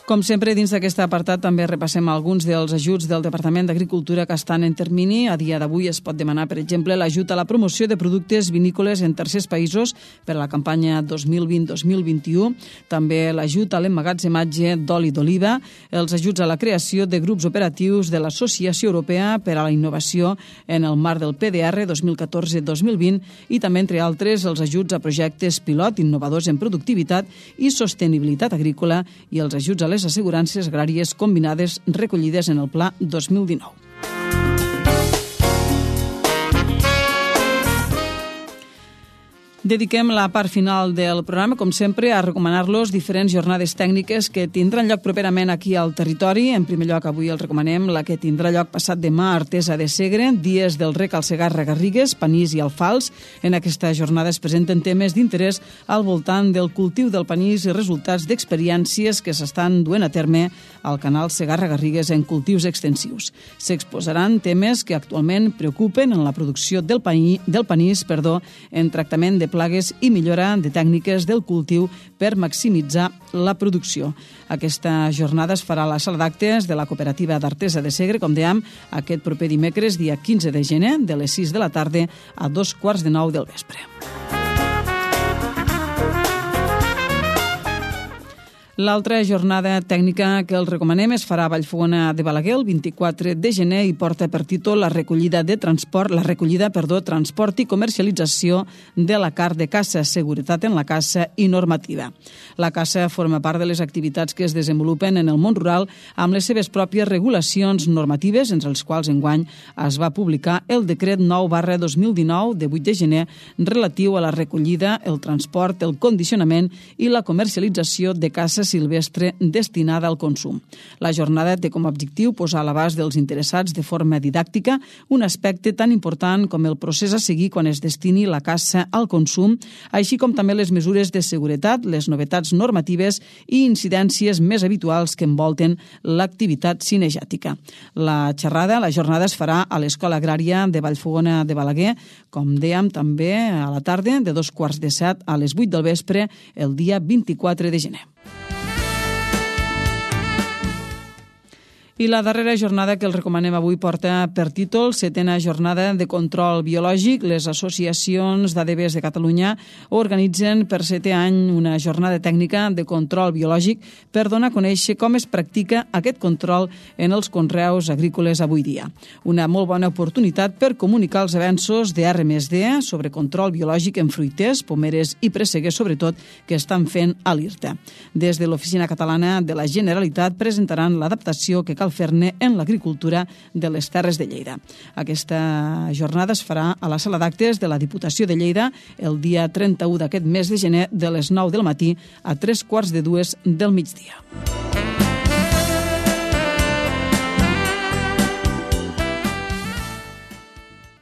Com sempre, dins d'aquest apartat també repassem alguns dels ajuts del Departament d'Agricultura que estan en termini. A dia d'avui es pot demanar, per exemple, l'ajut a la promoció de productes vinícoles en tercers països per a la campanya dos mil vint dos mil vint-i-u, també l'ajut a l'emmagatzematge d'oli d'oliva, els ajuts a la creació de grups operatius de l'Associació Europea per a la Innovació en el marc del P D R dos mil catorze dos mil vint i també, entre altres, els ajuts a projectes pilot innovadors en productivitat i sostenibilitat agrícola i els ajuts a les assegurances agràries combinades recollides en el Pla dos mil dinou. Dediquem la part final del programa, com sempre, a recomanar-los diferents jornades tècniques que tindran lloc properament aquí al territori. En primer lloc, avui els recomanem la que tindrà lloc passat demà a Artesa de Segre, dies del rec al Segarra Garrigues, panís i alfals. En aquesta jornada es presenten temes d'interès al voltant del cultiu del panís i resultats d'experiències que s'estan duent a terme al canal Segarra Garrigues en cultius extensius. S'exposaran temes que actualment preocupen en la producció del, paní, del panís perdó, en tractament de plagues i millora de tècniques del cultiu per maximitzar la producció. Aquesta jornada es farà a la sala d'actes de la cooperativa d'Artesa de Segre, com dèiem, aquest proper dimecres, dia quinze de gener, de les sis de la tarda a dos quarts de nou del vespre. L'altra jornada tècnica que els recomanem es farà a Vallfogona de Balaguer el vint-i-quatre de gener i porta per títol la recollida de transport, la recollida, perdó, transport i comercialització de la carn de caça, seguretat en la caça i normativa. La caça forma part de les activitats que es desenvolupen en el món rural amb les seves pròpies regulacions normatives, entre els quals enguany es va publicar el decret nou barra dos mil dinou de vuit de gener relatiu a la recollida, el transport, el condicionament i la comercialització de caça silvestre destinada al consum. La jornada té com a objectiu posar a l'abast dels interessats de forma didàctica un aspecte tan important com el procés a seguir quan es destini la caça al consum, així com també les mesures de seguretat, les novetats normatives i incidències més habituals que envolten l'activitat cinegètica. La xerrada, la jornada es farà a l'Escola Agrària de Vallfogona de Balaguer, com dèiem també a la tarda, de dos quarts de set a les vuit del vespre, el dia vint-i-quatre de gener. I la darrera jornada que els recomanem avui porta per títol setena jornada de control biològic. Les associacions d'A D Bs de Catalunya organitzen per setè any una jornada tècnica de control biològic per donar a conèixer com es practica aquest control en els conreus agrícoles avui dia. Una molt bona oportunitat per comunicar els avenços de R més D sobre control biològic en fruiters, pomeres i presseguers, sobretot, que estan fent a l'I R T A. Des de l'Oficina Catalana de la Generalitat presentaran l'adaptació que cal fer-ne en l'agricultura de les Terres de Lleida. Aquesta jornada es farà a la sala d'actes de la Diputació de Lleida el dia trenta-u d'aquest mes de gener de les nou del matí a tres quarts de dues del migdia.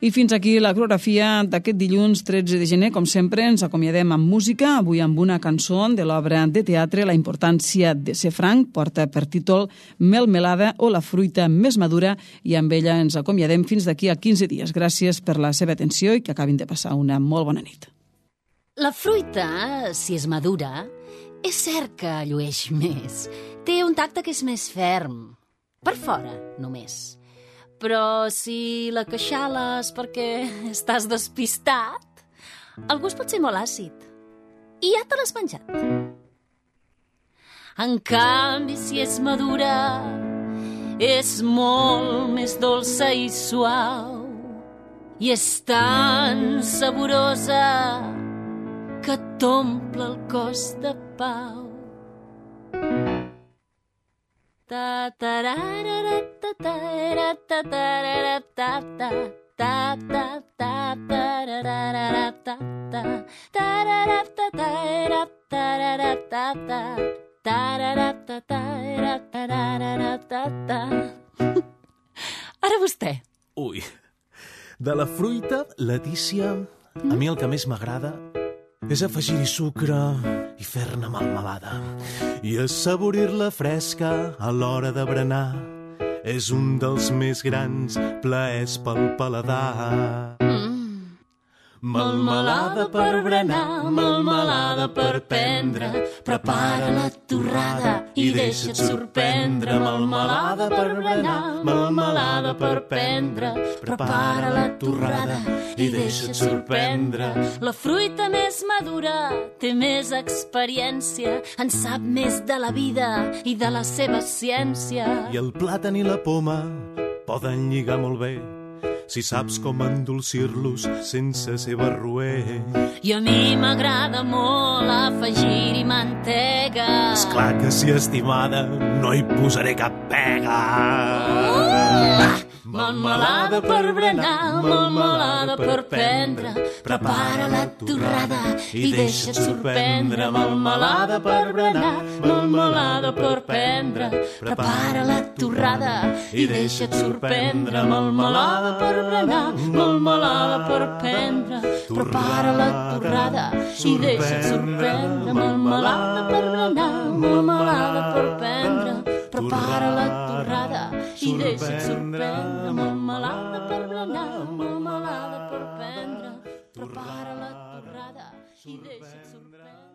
I fins aquí la coreografia d'aquest dilluns tretze de gener. Com sempre, ens acomiadem amb música, avui amb una cançó de l'obra de teatre La importància de ser franc, porta per títol Melmelada o la fruita més madura, i amb ella ens acomiadem fins d'aquí a quinze dies. Gràcies per la seva atenció i que acabin de passar una molt bona nit. La fruita, si és madura, és cert que llueix més. Té un tacte que és més ferm. Per fora, només. Però si la queixales perquè estàs despistat, el gust pot ser molt àcid. I ja te l'has menjat. En canvi, si és madura, és molt més dolça i suau. I és tan saborosa que t'omple el cos de pau. Ta ta ra ra ra ta ta ra ta ta ra ta ta ta ta ta ta ra ra ra ta ta ta ra ra ta ta ra ta ra ta ta ta ra ra ta ta ra ta ra ta ta. Ara vostè. Ui, de la fruita, Letícia, a mi el que més m'agrada és afegir-hi sucre i fer-ne melmelada. I assaborir-la fresca a l'hora de berenar és un dels més grans plaers pel paladar. Mm. Melmelada per berenar, melmelada per prendre. Prepara la torrada i deixa't sorprendre. Melmelada per berenar, melmelada per prendre. Prepara la torrada i deixa't sorprendre. La fruita més madura té més experiència, en sap més de la vida i de la seva ciència. I el plàtan i la poma poden lligar molt bé si saps com endolcir-los sense ser barroer. I a mi m'agrada molt afegir-hi mantega. Esclar que si estimada no hi posaré cap pega. Uh! melmelada per berenar, melmelada per prendre. Prepara la torrada i deixa't sorprendre. Melmelada per berenar, melmelada per prendre. Prepara la torrada i deixa't sorprendre. Melmelada per berenar, melmelada per prendre. Prepara la torrada i deixa't sorprendre. Melmelada per berenar, melmelada per prendre. Prepara la torrada i deixa't sorprendre. Melmelada per berenar, melmelada per prendre. Prepara la torrada i deixa't sorprendre.